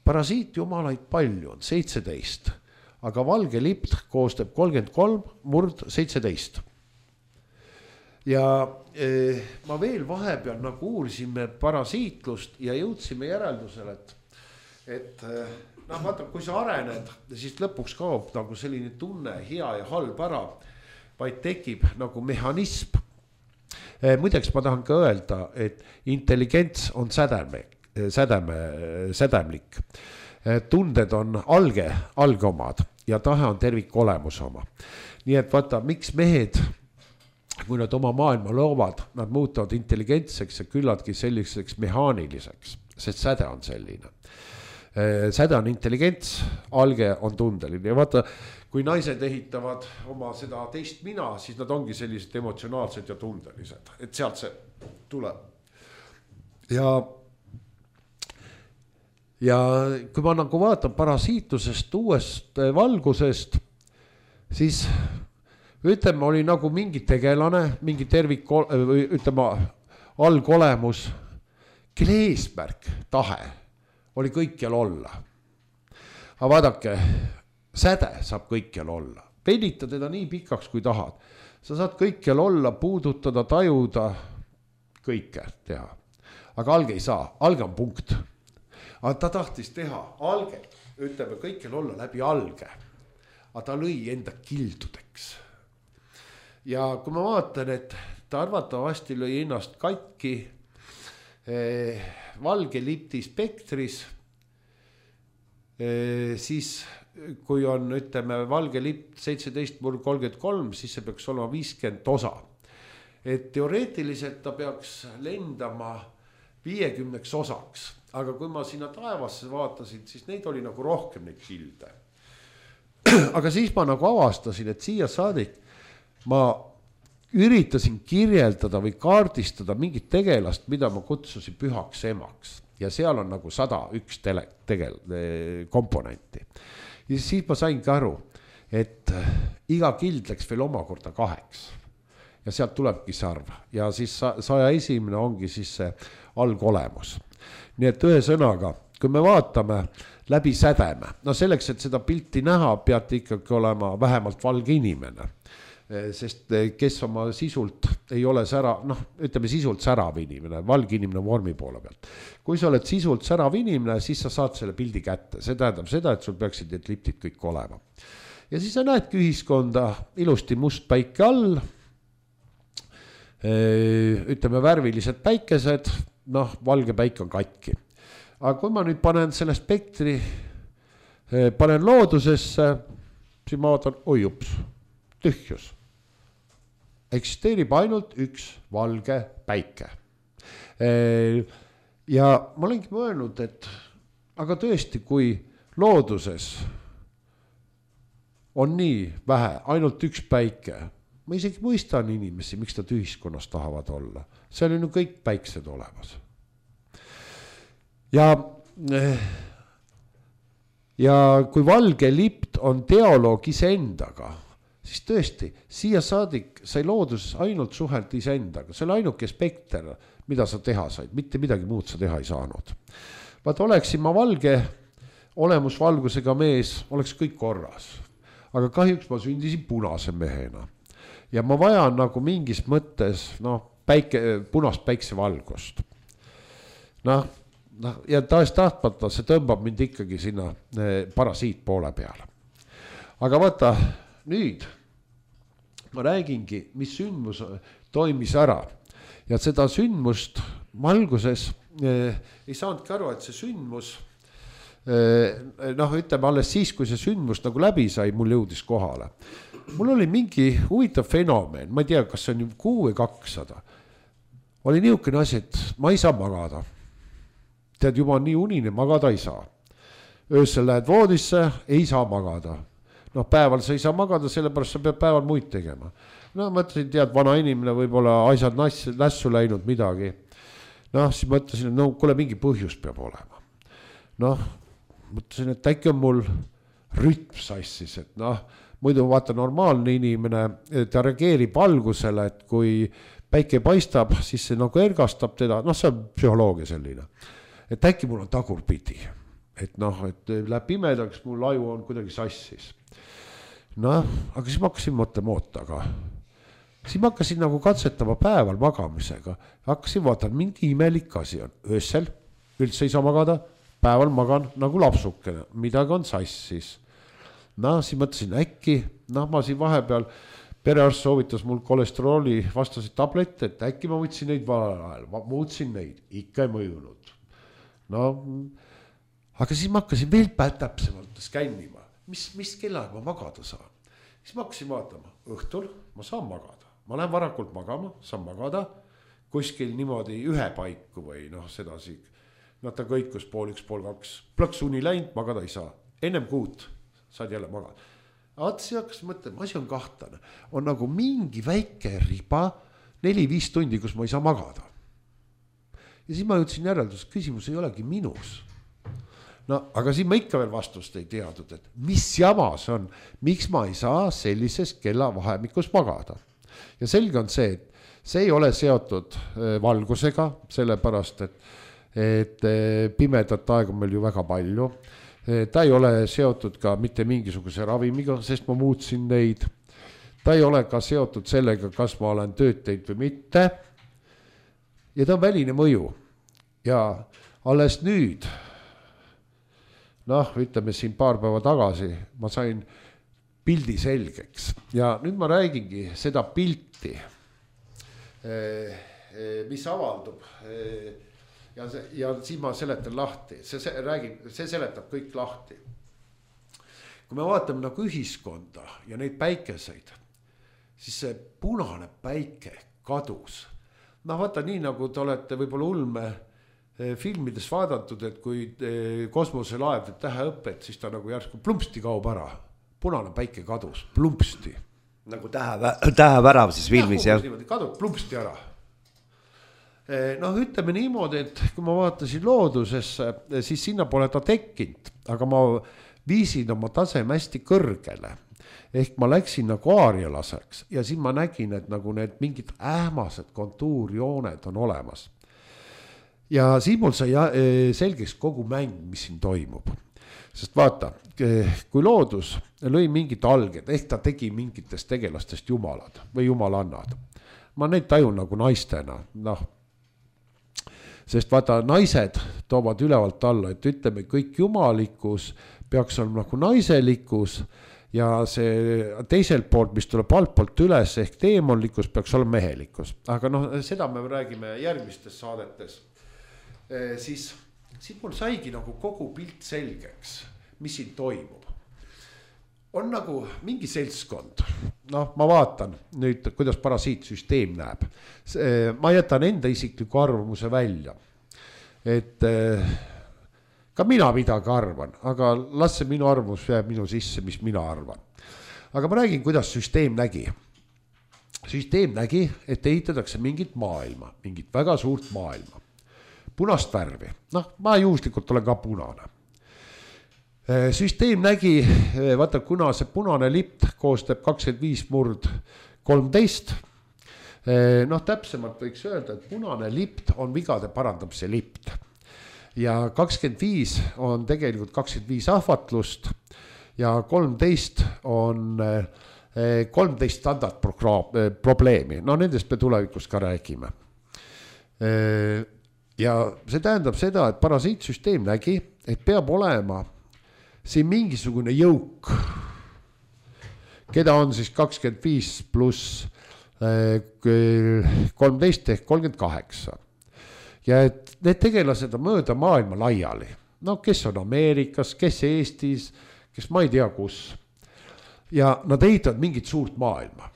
Parasiit jumalaid palju on, seitseteist. Aga valge lipt koostab kolmkümmend kolm murd seitseteist. Ja eh, ma veel vahepeal nagu uurisime parasiitlust ja jõudsime järeldusele, et, et noh, vaata, kui sa arened, siis lõpuks kaob nagu selline tunne hea ja halb ära, vaid tekib nagu mehhanism. Eh, muideks ma tahan ka öelda, et intelligents on sädeme, sädeme, sädemlik. Tunded on alge, alge omad ja tahe on tervik olemus oma. Nii et vaata, miks mehed, kui nad oma maailma loovad, nad muutuvad intelligentseks ja küllaltki selliseks mehaaniliseks, sest säde on selline. Säde on intelligents, alge on tundeline ja vaata, kui naised ehitavad oma seda teist mina, siis nad ongi sellised emotsionaalsed ja tundelised, et sealt see tuleb. ja ja kui ma nagu vaatan parasiitusest uuest valgusest, siis ütleme, oli nagu mingi tegelane, mingi tervik, ütleme, algolemus, kelle eesmärk, tahe oli kõikjal olla. Aga vaadake, säde saab kõikjal olla. Venita teda nii pikaks, kui tahad. Sa saad kõikjal olla, puudutada, tajuda, kõike teha. Aga alge ei saa, alge on punkt. Aga ta tahtis teha alge, ütleme, kõikjal olla läbi alge. Aga ta lõi enda kildudeks. Ja kui ma vaatan, et ta arvatavasti lõi ennast katki eh, valge lipti spektris, eh, siis kui on, ütleme, valge lipt seitseteist murd kolmkümmend kolm, siis see peaks olema viiskümmend osa. Et teoreetiliselt ta peaks lendama viiekümneks osaks. Aga kui ma sinna taevasse vaatasin, siis neid oli nagu rohkem neid kilde. Aga siis ma nagu avastasin, et siia saadik ma üritasin kirjeldada või kaardistada mingit tegelast, mida ma kutsusin pühaks emaks. Ja seal on nagu sada üks tele, tegel, komponenti. Ja siis ma saingi aru, et iga kild läks veel omakorda kaheks. Ja sealt tulebki sarv. Ja siis saja esimene ongi siis see algolemus. Nii et ühe sõnaga, kui me vaatame läbi sädeme, no selleks, et seda pilti näha, peate ikkagi olema vähemalt valge inimene. Sest kes oma sisult ei ole sära, noh, ütleme sisult särav inimene, valge inimene vormi poole pealt. Kui sa oled sisult särav inimene, siis sa saad selle pildi kätte. See tähendab seda, et sul peaksid need liptid kõik olema. Ja siis sa näedki ühiskonda ilusti must päike all, ütleme värvilised päikesed, noh, valge päik on katki. Aga kui ma nüüd panen selle spektri, panen loodusesse, siis ma vaatan, oi ups, tühjus. Eksisteerib ainult üks valge päike. Ja ma olengi mõelnud, et aga tõesti, kui looduses on nii vähe, ainult üks päike, ma isegi mõistan inimesi, miks nad ühiskonnas tahavad olla. Seal on ju kõik päiksed olemas. Ja, ja kui valge lipt on dialoog iseendaga, siis tõesti, siia saadik sai looduses ainult suhelt iseendaga. See oli ainuke spekter, mida sa teha said, mitte midagi muud sa teha ei saanud. Vaat oleksin ma valge olemusvalgusega mees, oleks kõik korras. Aga kahjuks ma sündisin punase mehena. Ja ma vajan nagu mingis mõttes no, päike, punast päiksevalgust. Noh, noh, ja taas tahtmata see tõmbab mind ikkagi sinna parasiit poole peale. Aga vaata, nüüd ma räägingi, mis sündmus toimis ära. Ja seda sündmust ma alguses eh, ei saanudki aru, et see sündmus, eh, noh, ütleme alles siis, kui see sündmus nagu läbi sai, mul jõudis kohale. Mul oli mingi huvitav fenomen, ma ei tea, kas see on kuu või kakssada. Oli niisugune asi, et ma ei saa magada. Tead, juba on nii unine, magada ei saa. Öösel lähed voodisse, ei saa magada. Noh, päeval sa ei saa magada, sellepärast sa pead päeval muid tegema. No mõtlesin, tead, vana inimene võib-olla asjad nässu läinud midagi. Noh, siis mõtlesin, et no kuule mingi põhjus peab olema. Noh, mõtlesin, et äkki on mul rütm sassis, et noh, muidu vaata normaalne inimene, ta reageerib valgusele, et kui päike paistab, siis see nagu ergastab teda, noh, see on psühholoogia selline. Et äkki mul on tagurpidi, et noh, et läheb pimedaks, mul aju on kuidagi sassis. Noh, aga siis ma hakkasin mõtlema ootaga. Siis ma hakkasin nagu katsetama päeval magamisega. Hakkasin vaatan, mingi imelik asi on. Öösel üldse ei saa magada, päeval magan nagu lapsukene, midagi on sassis. Noh, siis mõtlesin äkki, noh, ma siin vahepeal, perearst soovitas mul kolesterooli vastasid tablette, et äkki ma võtsin neid valel ajal, ma muutsin neid, ikka ei mõjunud. No, aga siis ma hakkasin veel täpsemalt skännima, mis, mis kellaga ma magada saan. Siis ma hakkasin vaatama, õhtul ma saan magada, ma lähen varakult magama, saan magada, kuskil niimoodi ühe paiku või noh, sedasi, noh ta kõikus pool üks, pool kaks, plõks uni läinud, magada ei saa, ennem kuut saad jälle magada. Aga siis hakkasin mõtlema, asi on kahtlane, on nagu mingi väike riba, neli-viis tundi, kus ma ei saa magada. ja siis ma jõudsin järeldus, küsimus ei olegi minus. No aga siin ma ikka veel vastust ei teadnud, et mis jama see on, miks ma ei saa sellises kellavahemikus magada. Ja selge on see, et see ei ole seotud valgusega, sellepärast, et, et pimedat aega on meil ju väga palju. Ta ei ole seotud ka mitte mingisuguse ravimiga, sest ma muutsin neid. Ta ei ole ka seotud sellega, kas ma olen tööd teinud või mitte. Ja ta on väline mõju. Ja alles nüüd, noh, ütleme siin paar päeva tagasi, ma sain pildi selgeks ja nüüd ma räägingi seda pilti, mis avaldub ja, see, ja siin ma seletan lahti, see, see, räägin, see seletab kõik lahti. Kui me vaatame nagu ühiskonda ja neid päikeseid, siis see punane päike kadus. No vaata nii, nagu te olete võib-olla ulme filmides vaadatud, et kui kosmoselaev teeb täheõpet, siis ta nagu järsku plumpsti kaob ära. Punane päike kadus, plumpsti. Nagu tähe, tähevärav siis filmis, jah? Kadub plumpsti ära. Noh, ütleme niimoodi, et kui ma vaatasin loodusesse, siis sinna pole ta tekkinud, aga ma viisin oma taseme hästi kõrgele. Ehk ma läksin nagu aarialaseks ja siin ma nägin, et nagu need mingid ähmased kontuurjooned on olemas. Ja siin mul sai selgeks kogu mäng, mis siin toimub. Sest vaata, kui loodus lõi mingid alged, ehk ta tegi mingitest tegelastest jumalad või jumalannad. Ma neid tajun nagu naistena, noh. Sest vaata, naised toovad ülevalt alla, et ütleme, kõik jumalikkus peaks olema nagu naiselikkus ja see teiselt poolt, mis tuleb altpoolt üles, ehk teemonlikkus peaks olema mehelikkus. Aga noh, seda me räägime järgmistes saadetes. Siis, siis mul saigi nagu kogu pilt selgeks, mis siin toimub. On nagu mingi seltskond, noh, ma vaatan nüüd, kuidas parasiitsüsteem näeb. Ma jätan enda isikliku arvamuse välja, et ka mina midagi arvan, aga las see minu arvamus jääb minu sisse, mis mina arvan. Aga ma räägin, kuidas süsteem nägi. Süsteem nägi, et ehitatakse mingit maailma, mingit väga suurt maailma. Punast värvi, noh, ma juhuslikult olen ka punane. Süsteem nägi, vaata, kuna see punane lipt koostab kakskümmend viis murd kolmteist, noh, täpsemalt võiks öelda, et punane lipt on vigade parandamise lipt. Ja kakskümmend viis on tegelikult kakskümmend viis ahvatlust ja kolmteist on kolmteist standard probleemi. No nendest me tulevikus ka räägime. Ja see tähendab seda, et parasiitsüsteem nägi, et peab olema siin mingisugune jõuk, keda on siis kakskümmend viis pluss kolmteist ehk kolmkümmend kaheksa. Ja et need tegelased on mööda maailma laiali. No kes on Ameerikas, kes Eestis, kes ma ei tea kus. Ja nad ehitavad mingit suurt maailma,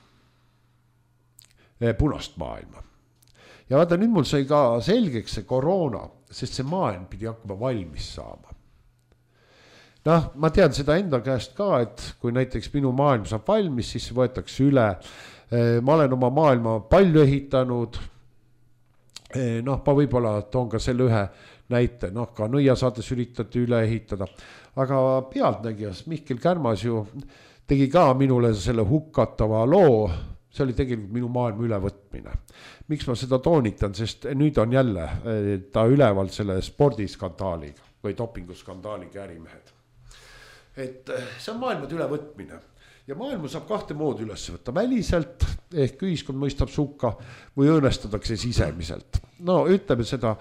punast maailma. Ja vaata, nüüd mul sai ka selgeks see koroona, sest see maailm pidi hakkama valmis saama. Noh, ma tean seda enda käest ka, et kui näiteks minu maailm saab valmis, siis võetakse üle. Ma olen oma maailma palju ehitanud. Noh, ma võib-olla toon ka selle ühe näite, noh, ka nõiasaades üritati üle ehitada. Aga pealtnägijas Mihkel Kärmas ju tegi ka minule selle hukkatava loo. See oli tegelikult minu maailma ülevõtmine. Miks ma seda toonitan, sest nüüd on jälle ta üleval selle spordiskandaaliga või dopinguskandaaliga ärimehed. Et see on maailmad ülevõtmine ja maailma saab kahte moodi üles võtta väliselt ehk ühiskond mõistab sukka või õõnestatakse sisemiselt. No ütleme seda,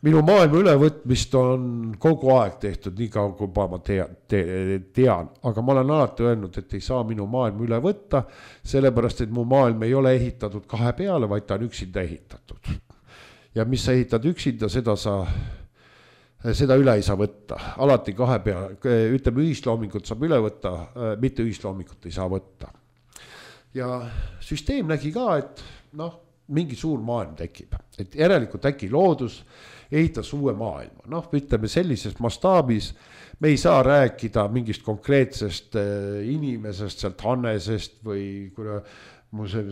minu maailma ülevõtmist on kogu aeg tehtud nii kaua, kui ma tean, tean, aga ma olen alati öelnud, et ei saa minu maailma üle võtta, sellepärast, et mu maailm ei ole ehitatud kahe peale, vaid ta on üksinda ehitatud. Ja mis sa ehitad üksinda, seda, sa, seda üle ei saa võtta. Alati kahe peale, ütleme ühisloomingut saab üle võtta, mitte ühisloomingut ei saa võtta. Ja süsteem nägi ka, et noh, mingi suur maailm tekib, et järelikult äkki loodus ehitas uue maailma. Noh, ütleme sellises mastaabis, me ei saa rääkida mingist konkreetsest inimesest, sealt Hannesest või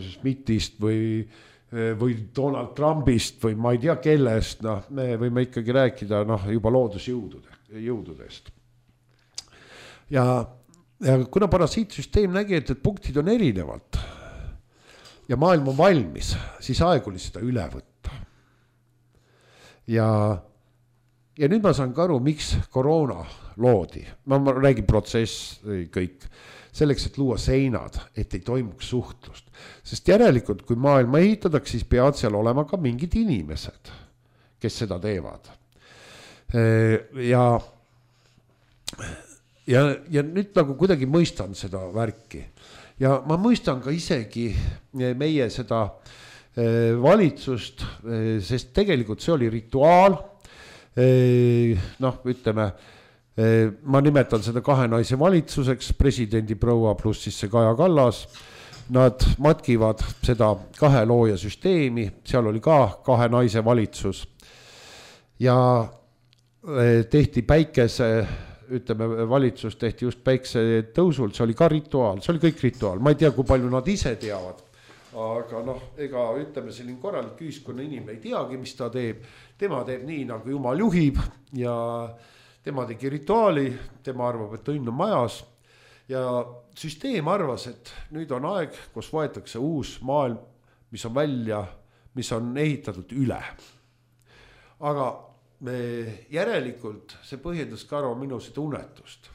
Smitist või või Donald Trumpist või ma ei tea kellest, noh, me võime ikkagi rääkida noh, juba loodusjõududest. Ja, ja kuna parasiitsüsteem nägi, et, et punktid on erinevalt ja maailm on valmis, siis aeg oli seda üle võtta. Ja, ja nüüd ma saan ka aru, miks koroona loodi. Ma, ma räägin protsess kõik. Selleks, et luua seinad, et ei toimuks suhtlust. Sest järelikult, kui maailma ehitatakse, siis peavad seal olema ka mingid inimesed, kes seda teevad. Ja, ja, ja nüüd nagu kuidagi mõistan seda värki. Ja ma mõistan ka isegi meie seda valitsust, sest tegelikult see oli rituaal. Noh, ütleme, ma nimetan seda kahe naise valitsuseks, presidendi proua pluss siis see Kaja Kallas. Nad matkivad seda kahe looja süsteemi, seal oli ka kahe naise valitsus. Ja tehti päikese, ütleme, valitsus tehti just päikse tõusul, see oli ka rituaal, see oli kõik rituaal. Ma ei tea, kui palju nad ise teavad, aga noh, ega ütleme, selline korralik ühiskonna inimene ei teagi, mis ta teeb. Tema teeb nii, nagu Jumal juhib ja tema tegi rituaali, tema arvab, et õnn on majas ja süsteem arvas, et nüüd on aeg, kus võetakse uus maailm, mis on välja, mis on ehitatud üle. Aga me järelikult see põhjendas ka arva minu seda unetust,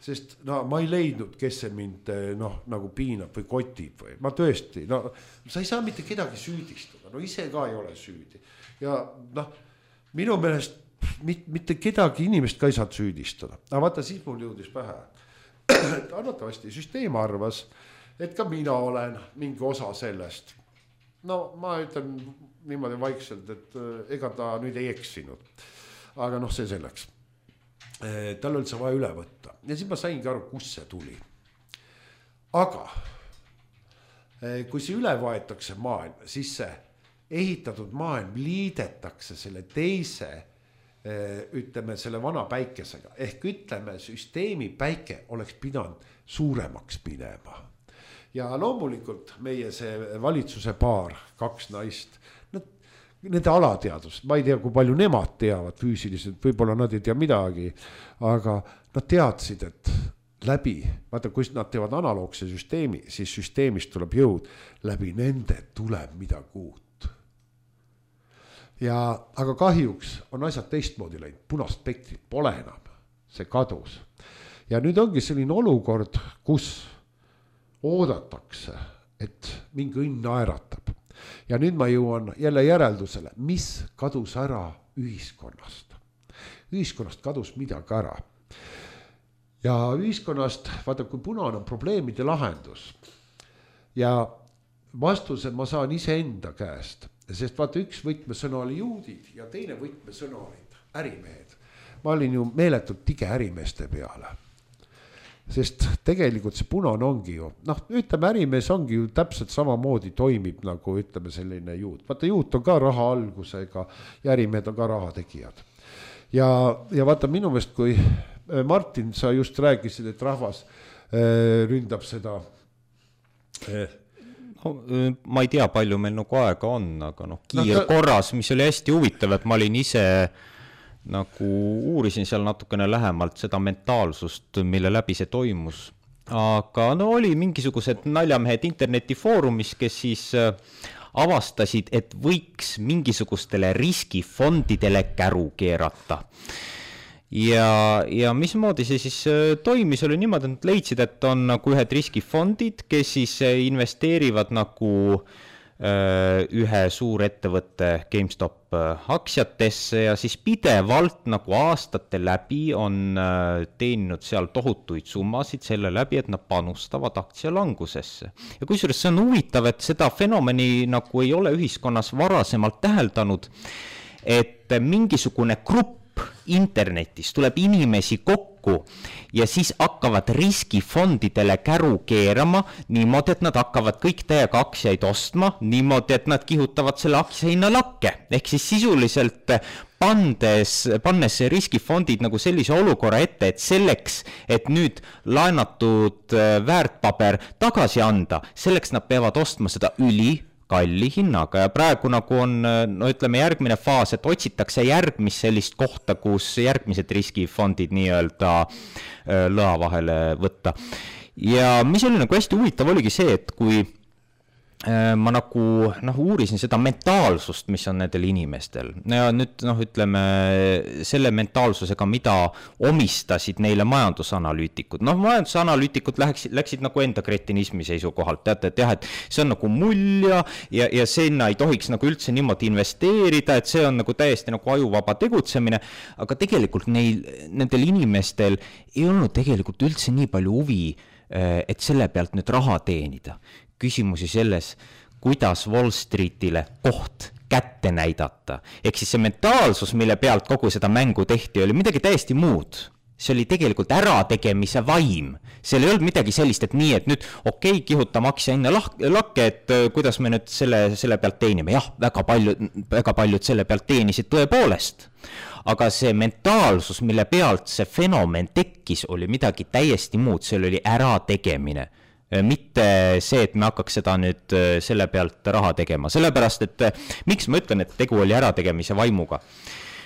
sest no, ma ei leidnud, kes see mind noh, nagu piinab või kotib või ma tõesti, no sa ei saa mitte kedagi süüdistada, no ise ka ei ole süüdi ja noh, minu meelest mitte kedagi inimest ka ei saad süüdistada. Aga vaata, siis mul jõudis pähe. Arvatavasti süsteem arvas, et ka mina olen mingi osa sellest. No ma ütlen niimoodi vaikselt, et ega ta nüüd ei eksinud. Aga noh, see selleks. Tal oli see vaja üle võtta. Ja siis ma saingi aru, kus see tuli. Aga kui see üle võetakse maailm, siis see ehitatud maailm liidetakse selle teise ütleme selle vana päikesega ehk ütleme süsteemi päike oleks pidanud suuremaks minema ja loomulikult meie see valitsuse paar, kaks naist, nende alateadust, ma ei tea, kui palju nemad teavad füüsiliselt, võib-olla nad ei tea midagi, aga nad teadsid, et läbi, vaata, kui nad teevad analoogse süsteemi, siis süsteemist tuleb jõud, läbi nende tuleb midagi uut. Ja, aga kahjuks on asjad teistmoodi läinud, punast spektrit pole enam, see kadus. Ja nüüd ongi selline olukord, kus oodatakse, et mingi õnn naeratab. Ja nüüd ma jõuan jälle järeldusele, mis kadus ära ühiskonnast. Ühiskonnast kadus midagi ära. Ja ühiskonnast, vaata, kui punane on probleemide lahendus ja vastused ma saan ise enda käest. Sest vaata, üks võtmesõna oli juudid ja teine võtmesõna olid ärimehed. Ma olin ju meeletult tige ärimeeste peale. Sest tegelikult see punane ongi ju, noh, ütleme, ärimees ongi ju täpselt samamoodi toimib nagu ütleme selline juut. Vaata, juut on ka raha algusega ja ärimehed on ka raha tegijad. Ja, ja vaata, minu meelest, kui Martin, sa just rääkisid, et rahvas äh, ründab seda äh, ma ei tea, palju meil nagu aega on, aga noh, kiirkorras, mis oli hästi huvitav, et ma olin ise nagu uurisin seal natukene lähemalt seda mentaalsust, mille läbi see toimus. Aga no oli mingisugused naljamehed internetifoorumis, kes siis avastasid, et võiks mingisugustele riskifondidele käru keerata. Ja, ja mismoodi see siis toimis oli niimoodi, et nad leidsid, et on nagu ühed riskifondid, kes siis investeerivad nagu ühe suurettevõtte GameStop aktsiatesse ja siis pidevalt nagu aastate läbi on teeninud seal tohutuid summasid selle läbi, et nad panustavad aktsialangusesse. Ja kusjuures see on huvitav, et seda fenomeni nagu ei ole ühiskonnas varasemalt täheldanud, et mingisugune grupp internetis tuleb inimesi kokku ja siis hakkavad riskifondidele käru keerama niimoodi, et nad hakkavad kõik täiega aktsiaid ostma, niimoodi, et nad kihutavad selle aktsia hinna lakke. Ehk siis sisuliselt pandes, pannes riskifondid nagu sellise olukorra ette, et selleks, et nüüd laenatud väärtpaber tagasi anda, selleks nad peavad ostma seda üli kalli hinnaga ja praegu nagu on, no ütleme järgmine faas, et otsitakse järgmist sellist kohta, kus järgmised riskifondid nii-öelda lõa vahele võtta. Ja mis oli nagu hästi huvitav oligi see, et kui ma nagu noh, uurisin seda mentaalsust, mis on nendel inimestel ja nüüd noh, ütleme selle mentaalsusega, mida omistasid neile majandusanalüütikud. Noh, majandusanalüütikud läksid, läksid nagu enda kretinismi seisukohalt, teate, et jah, et see on nagu mulja ja, ja sinna ei tohiks nagu üldse niimoodi investeerida, et see on nagu täiesti nagu ajuvaba tegutsemine, aga tegelikult neil, nendel inimestel ei olnud tegelikult üldse nii palju huvi, et selle pealt nüüd raha teenida. Küsimusi selles, kuidas Wall Streetile koht kätte näidata. Ehk siis see mentaalsus, mille pealt kogu seda mängu tehti, oli midagi täiesti muud. See oli tegelikult ärategemise vaim. Seal ei olnud midagi sellist, et nii, et nüüd okei, okay, kihutame aktsia hinna lakke, et kuidas me nüüd selle, selle pealt teenime. Jah, väga paljud, väga paljud selle pealt teenisid tõepoolest. Aga see mentaalsus, mille pealt see fenomen tekkis, oli midagi täiesti muud. See oli ärategemine. Mitte see, et me hakkaks seda nüüd selle pealt raha tegema. Sellepärast, et miks ma ütlen, et tegu oli ärategemise vaimuga?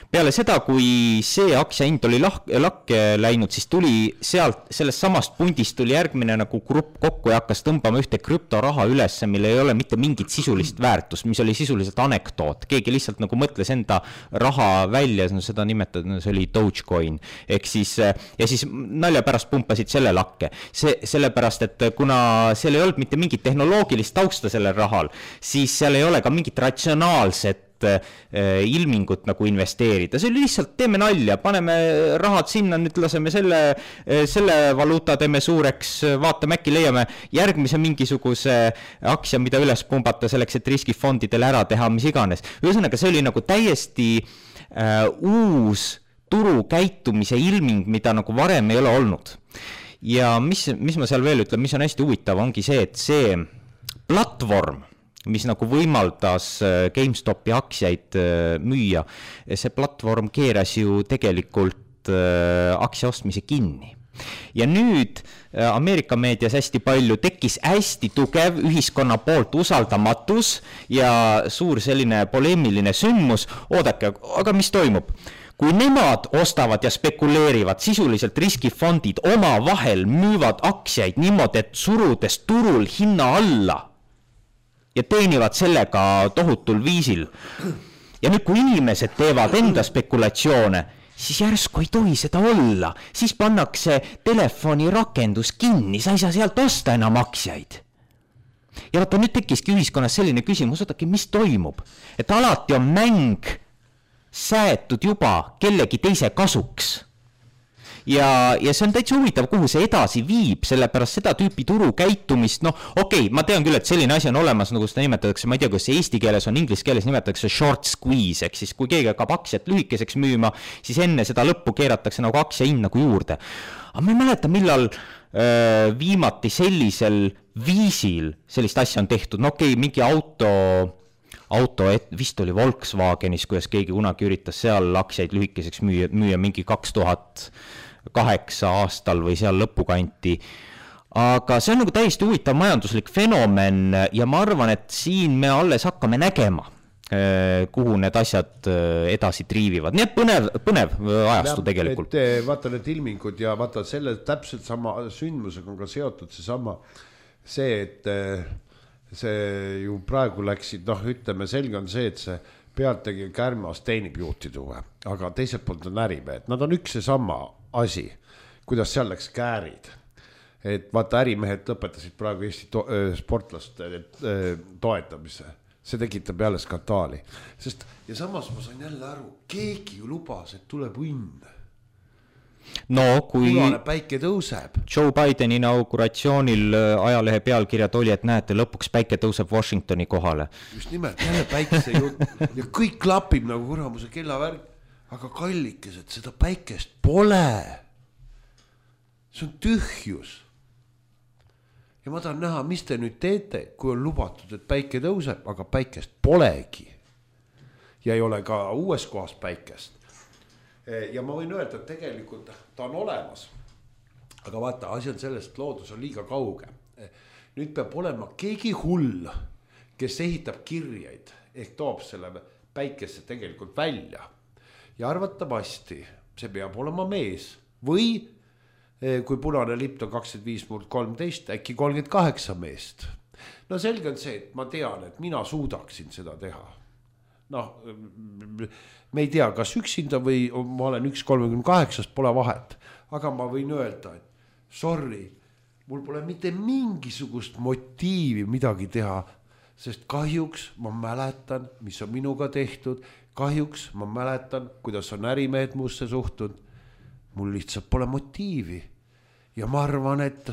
Peale seda, kui see aktsia hind oli lakke läinud, siis tuli sealt, sellest samast pundist tuli järgmine nagu grupp kokku ja hakkas tõmbama ühte krüptoraha üles, mille ei ole mitte mingit sisulist väärtust, mis oli sisuliselt anekdoot. Keegi lihtsalt nagu mõtles enda raha välja, no seda nimetada, see oli Dogecoin. Ehk siis, ja siis nalja pärast pumpasid selle lakke. See, sellepärast, et kuna seal ei olnud mitte mingit tehnoloogilist tausta sellel rahal, siis seal ei ole ka mingit ratsionaalset ilmingut nagu investeerida. See oli lihtsalt, teeme nalja, paneme rahad sinna, nüüd laseme selle, selle valuuta teeme suureks, vaatame äkki leiame järgmise mingisuguse aktsia, mida üles pumbata selleks, et riskifondidele ära teha, mis iganes. Ühesõnaga, see oli nagu täiesti äh, uus turu käitumise ilming, mida nagu varem ei ole olnud. Ja mis, mis ma seal veel ütlen, mis on hästi huvitav, ongi see, et see platvorm, mis nagu võimaldas GameStopi aktsiaid müüa, see platvorm keeras ju tegelikult aktsia ostmise kinni. Ja nüüd Ameerika meedias hästi palju tekkis hästi tugev ühiskonna poolt usaldamatus ja suur selline poleemiline sündmus. Oodake, aga mis toimub? Kui nemad ostavad ja spekuleerivad, sisuliselt riskifondid oma vahel müüvad aktsiaid niimoodi, et surudes turul hinna alla ja teenivad sellega tohutul viisil. Ja nüüd, kui inimesed teevad enda spekulatsioone, siis järsku ei tohi seda olla. Siis pannakse telefoni rakendus kinni, sa ei saa sealt osta enam aktsiaid. Ja vaata, nüüd tekkiski ühiskonnas selline küsimus, ootaki, mis toimub? Et alati on mäng säätud juba kellegi teise kasuks. Ja, ja see on täitsa huvitav, kuhu see edasi viib, sellepärast seda tüüpi turu käitumist, noh, okei, okay, ma tean küll, et selline asi on olemas, nagu seda nimetatakse, ma ei tea, kas see eesti keeles on, inglise keeles nimetatakse short squeeze, ehk siis kui keegi hakkab aktsiat lühikeseks müüma, siis enne seda lõppu keeratakse nagu aktsia hind nagu juurde. Aga ma ei mäleta, millal öö, viimati sellisel viisil sellist asja on tehtud, no okei, okay, mingi auto... auto, vist oli Volkswagenis, kuidas keegi kunagi üritas seal aktsiaid lühikeseks müüa, müüa mingi kaks tuhat kaheksa aastal või seal lõpukanti. Aga see on nagu täiesti huvitav majanduslik fenomen ja ma arvan, et siin me alles hakkame nägema, kuhu need asjad edasi triivivad. Nii et põnev, põnev ajastu tegelikult. Et, vaata need ilmingud ja vaata selle täpselt sama sündmusega on ka seotud see sama, see, et see ju praegu läksid, noh, ütleme, selge on see, et see pealtegi kärmas teenib juhtide huve, aga teiselt poolt on ärimehed. Nad on üks ja sama asi, kuidas seal läks käärid. Et vaata, ärimehed lõpetasid praegu Eesti to- sportlaste toetamise. See tekitab jälle skandaali. Sest, ja samas ma sain jälle aru, keegi ju lubas, et tuleb õnn. No, kui Punane päike tõuseb. Joe Bideni inauguratsioonil ajalehe pealkirjad oli, et näete, lõpuks päike tõuseb Washingtoni kohale. Just nimelt, jälle päikese jutt. Ja kõik klapib nagu kuramuse kellavärk. Aga kallikesed, seda päikest pole. See on tühjus. Ja ma tahan näha, mis te nüüd teete, kui on lubatud, et päike tõuseb, aga päikest polegi. Ja ei ole ka uues kohas päikest. Ja ma võin öelda, et tegelikult ta on olemas. Aga vaata, asi on sellest, loodus on liiga kauge. Nüüd peab olema keegi hull, kes ehitab kirjeid ehk toob selle päikesse tegelikult välja. Ja arvatavasti see peab olema mees või kui punane lipp on kakskümmend viis murd kolmteist, äkki kolmkümmend kaheksa meest. No selge on see, et ma tean, et mina suudaksin seda teha. Noh, me ei tea, kas üksinda või ma olen üks kolmekümne kaheksast, pole vahet. Aga ma võin öelda, et sorry, mul pole mitte mingisugust motiivi midagi teha, sest kahjuks ma mäletan, mis on minuga tehtud, kahjuks ma mäletan, kuidas on ärimehed muusse suhtunud, mul lihtsalt pole motiivi. Ja ma arvan, et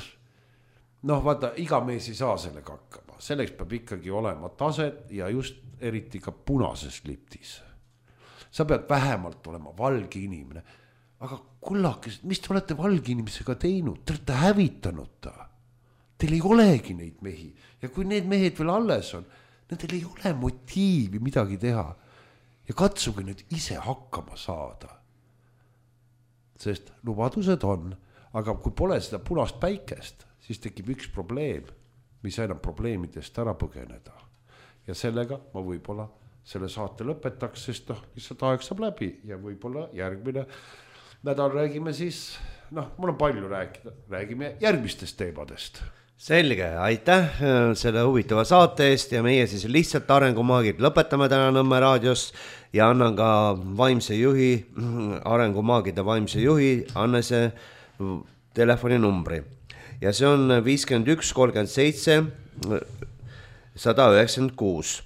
noh, vaata, iga mees ei saa sellega hakkama. Selleks peab ikkagi olema taset ja just eriti ka punases liptis. Sa pead vähemalt olema valge inimene. Aga kullakesed, mis te olete valge inimesega teinud? Te olete hävitanud ta. Teil ei olegi neid mehi. Ja kui need mehed veel alles on, nendel ei ole motiivi midagi teha. Ja katsuge nüüd ise hakkama saada. Sest lubadused on, aga kui pole seda punast päikest, siis tekib üks probleem, mis enam probleemidest ära põgeneda. Ja sellega ma võib-olla selle saate lõpetaks, sest noh, lihtsalt aeg saab läbi ja võib-olla järgmine nädal räägime siis, noh, mul on palju rääkida, räägime järgmistest teemadest. Selge, aitäh selle huvitava saate eest ja meie siis lihtsalt arengumaagid lõpetame täna Nõmme raadios ja annan ka vaimse juhi, arengumaagide vaimse juhi Annese telefoninumbri ja see on viiskümmend üks kolmkümmend seitse sada üheksakümmend kuus.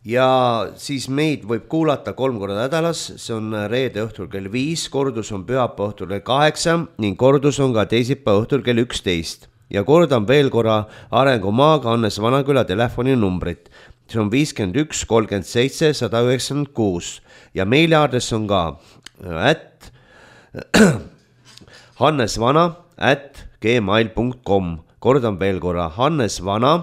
Ja siis meid võib kuulata kolm korda nädalas, see on reede õhtul kell viis, kordus on pühapäeva õhtul kell kaheksa ning kordus on ka teisipäeva õhtul kell üksteist. Ja kordan veel korra arengumaaga Hannes Vanaküla telefoninumbrit. See on viiskümmend üks kolmkümmend seitse sada üheksakümmend kuus ja meiliaadress on ka at hannesvana at gmail punkt com. Kordan veel korra hannesvana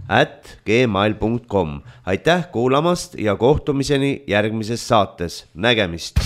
at gmail punkt com. Aitäh kuulamast ja kohtumiseni järgmises saates. Nägemist!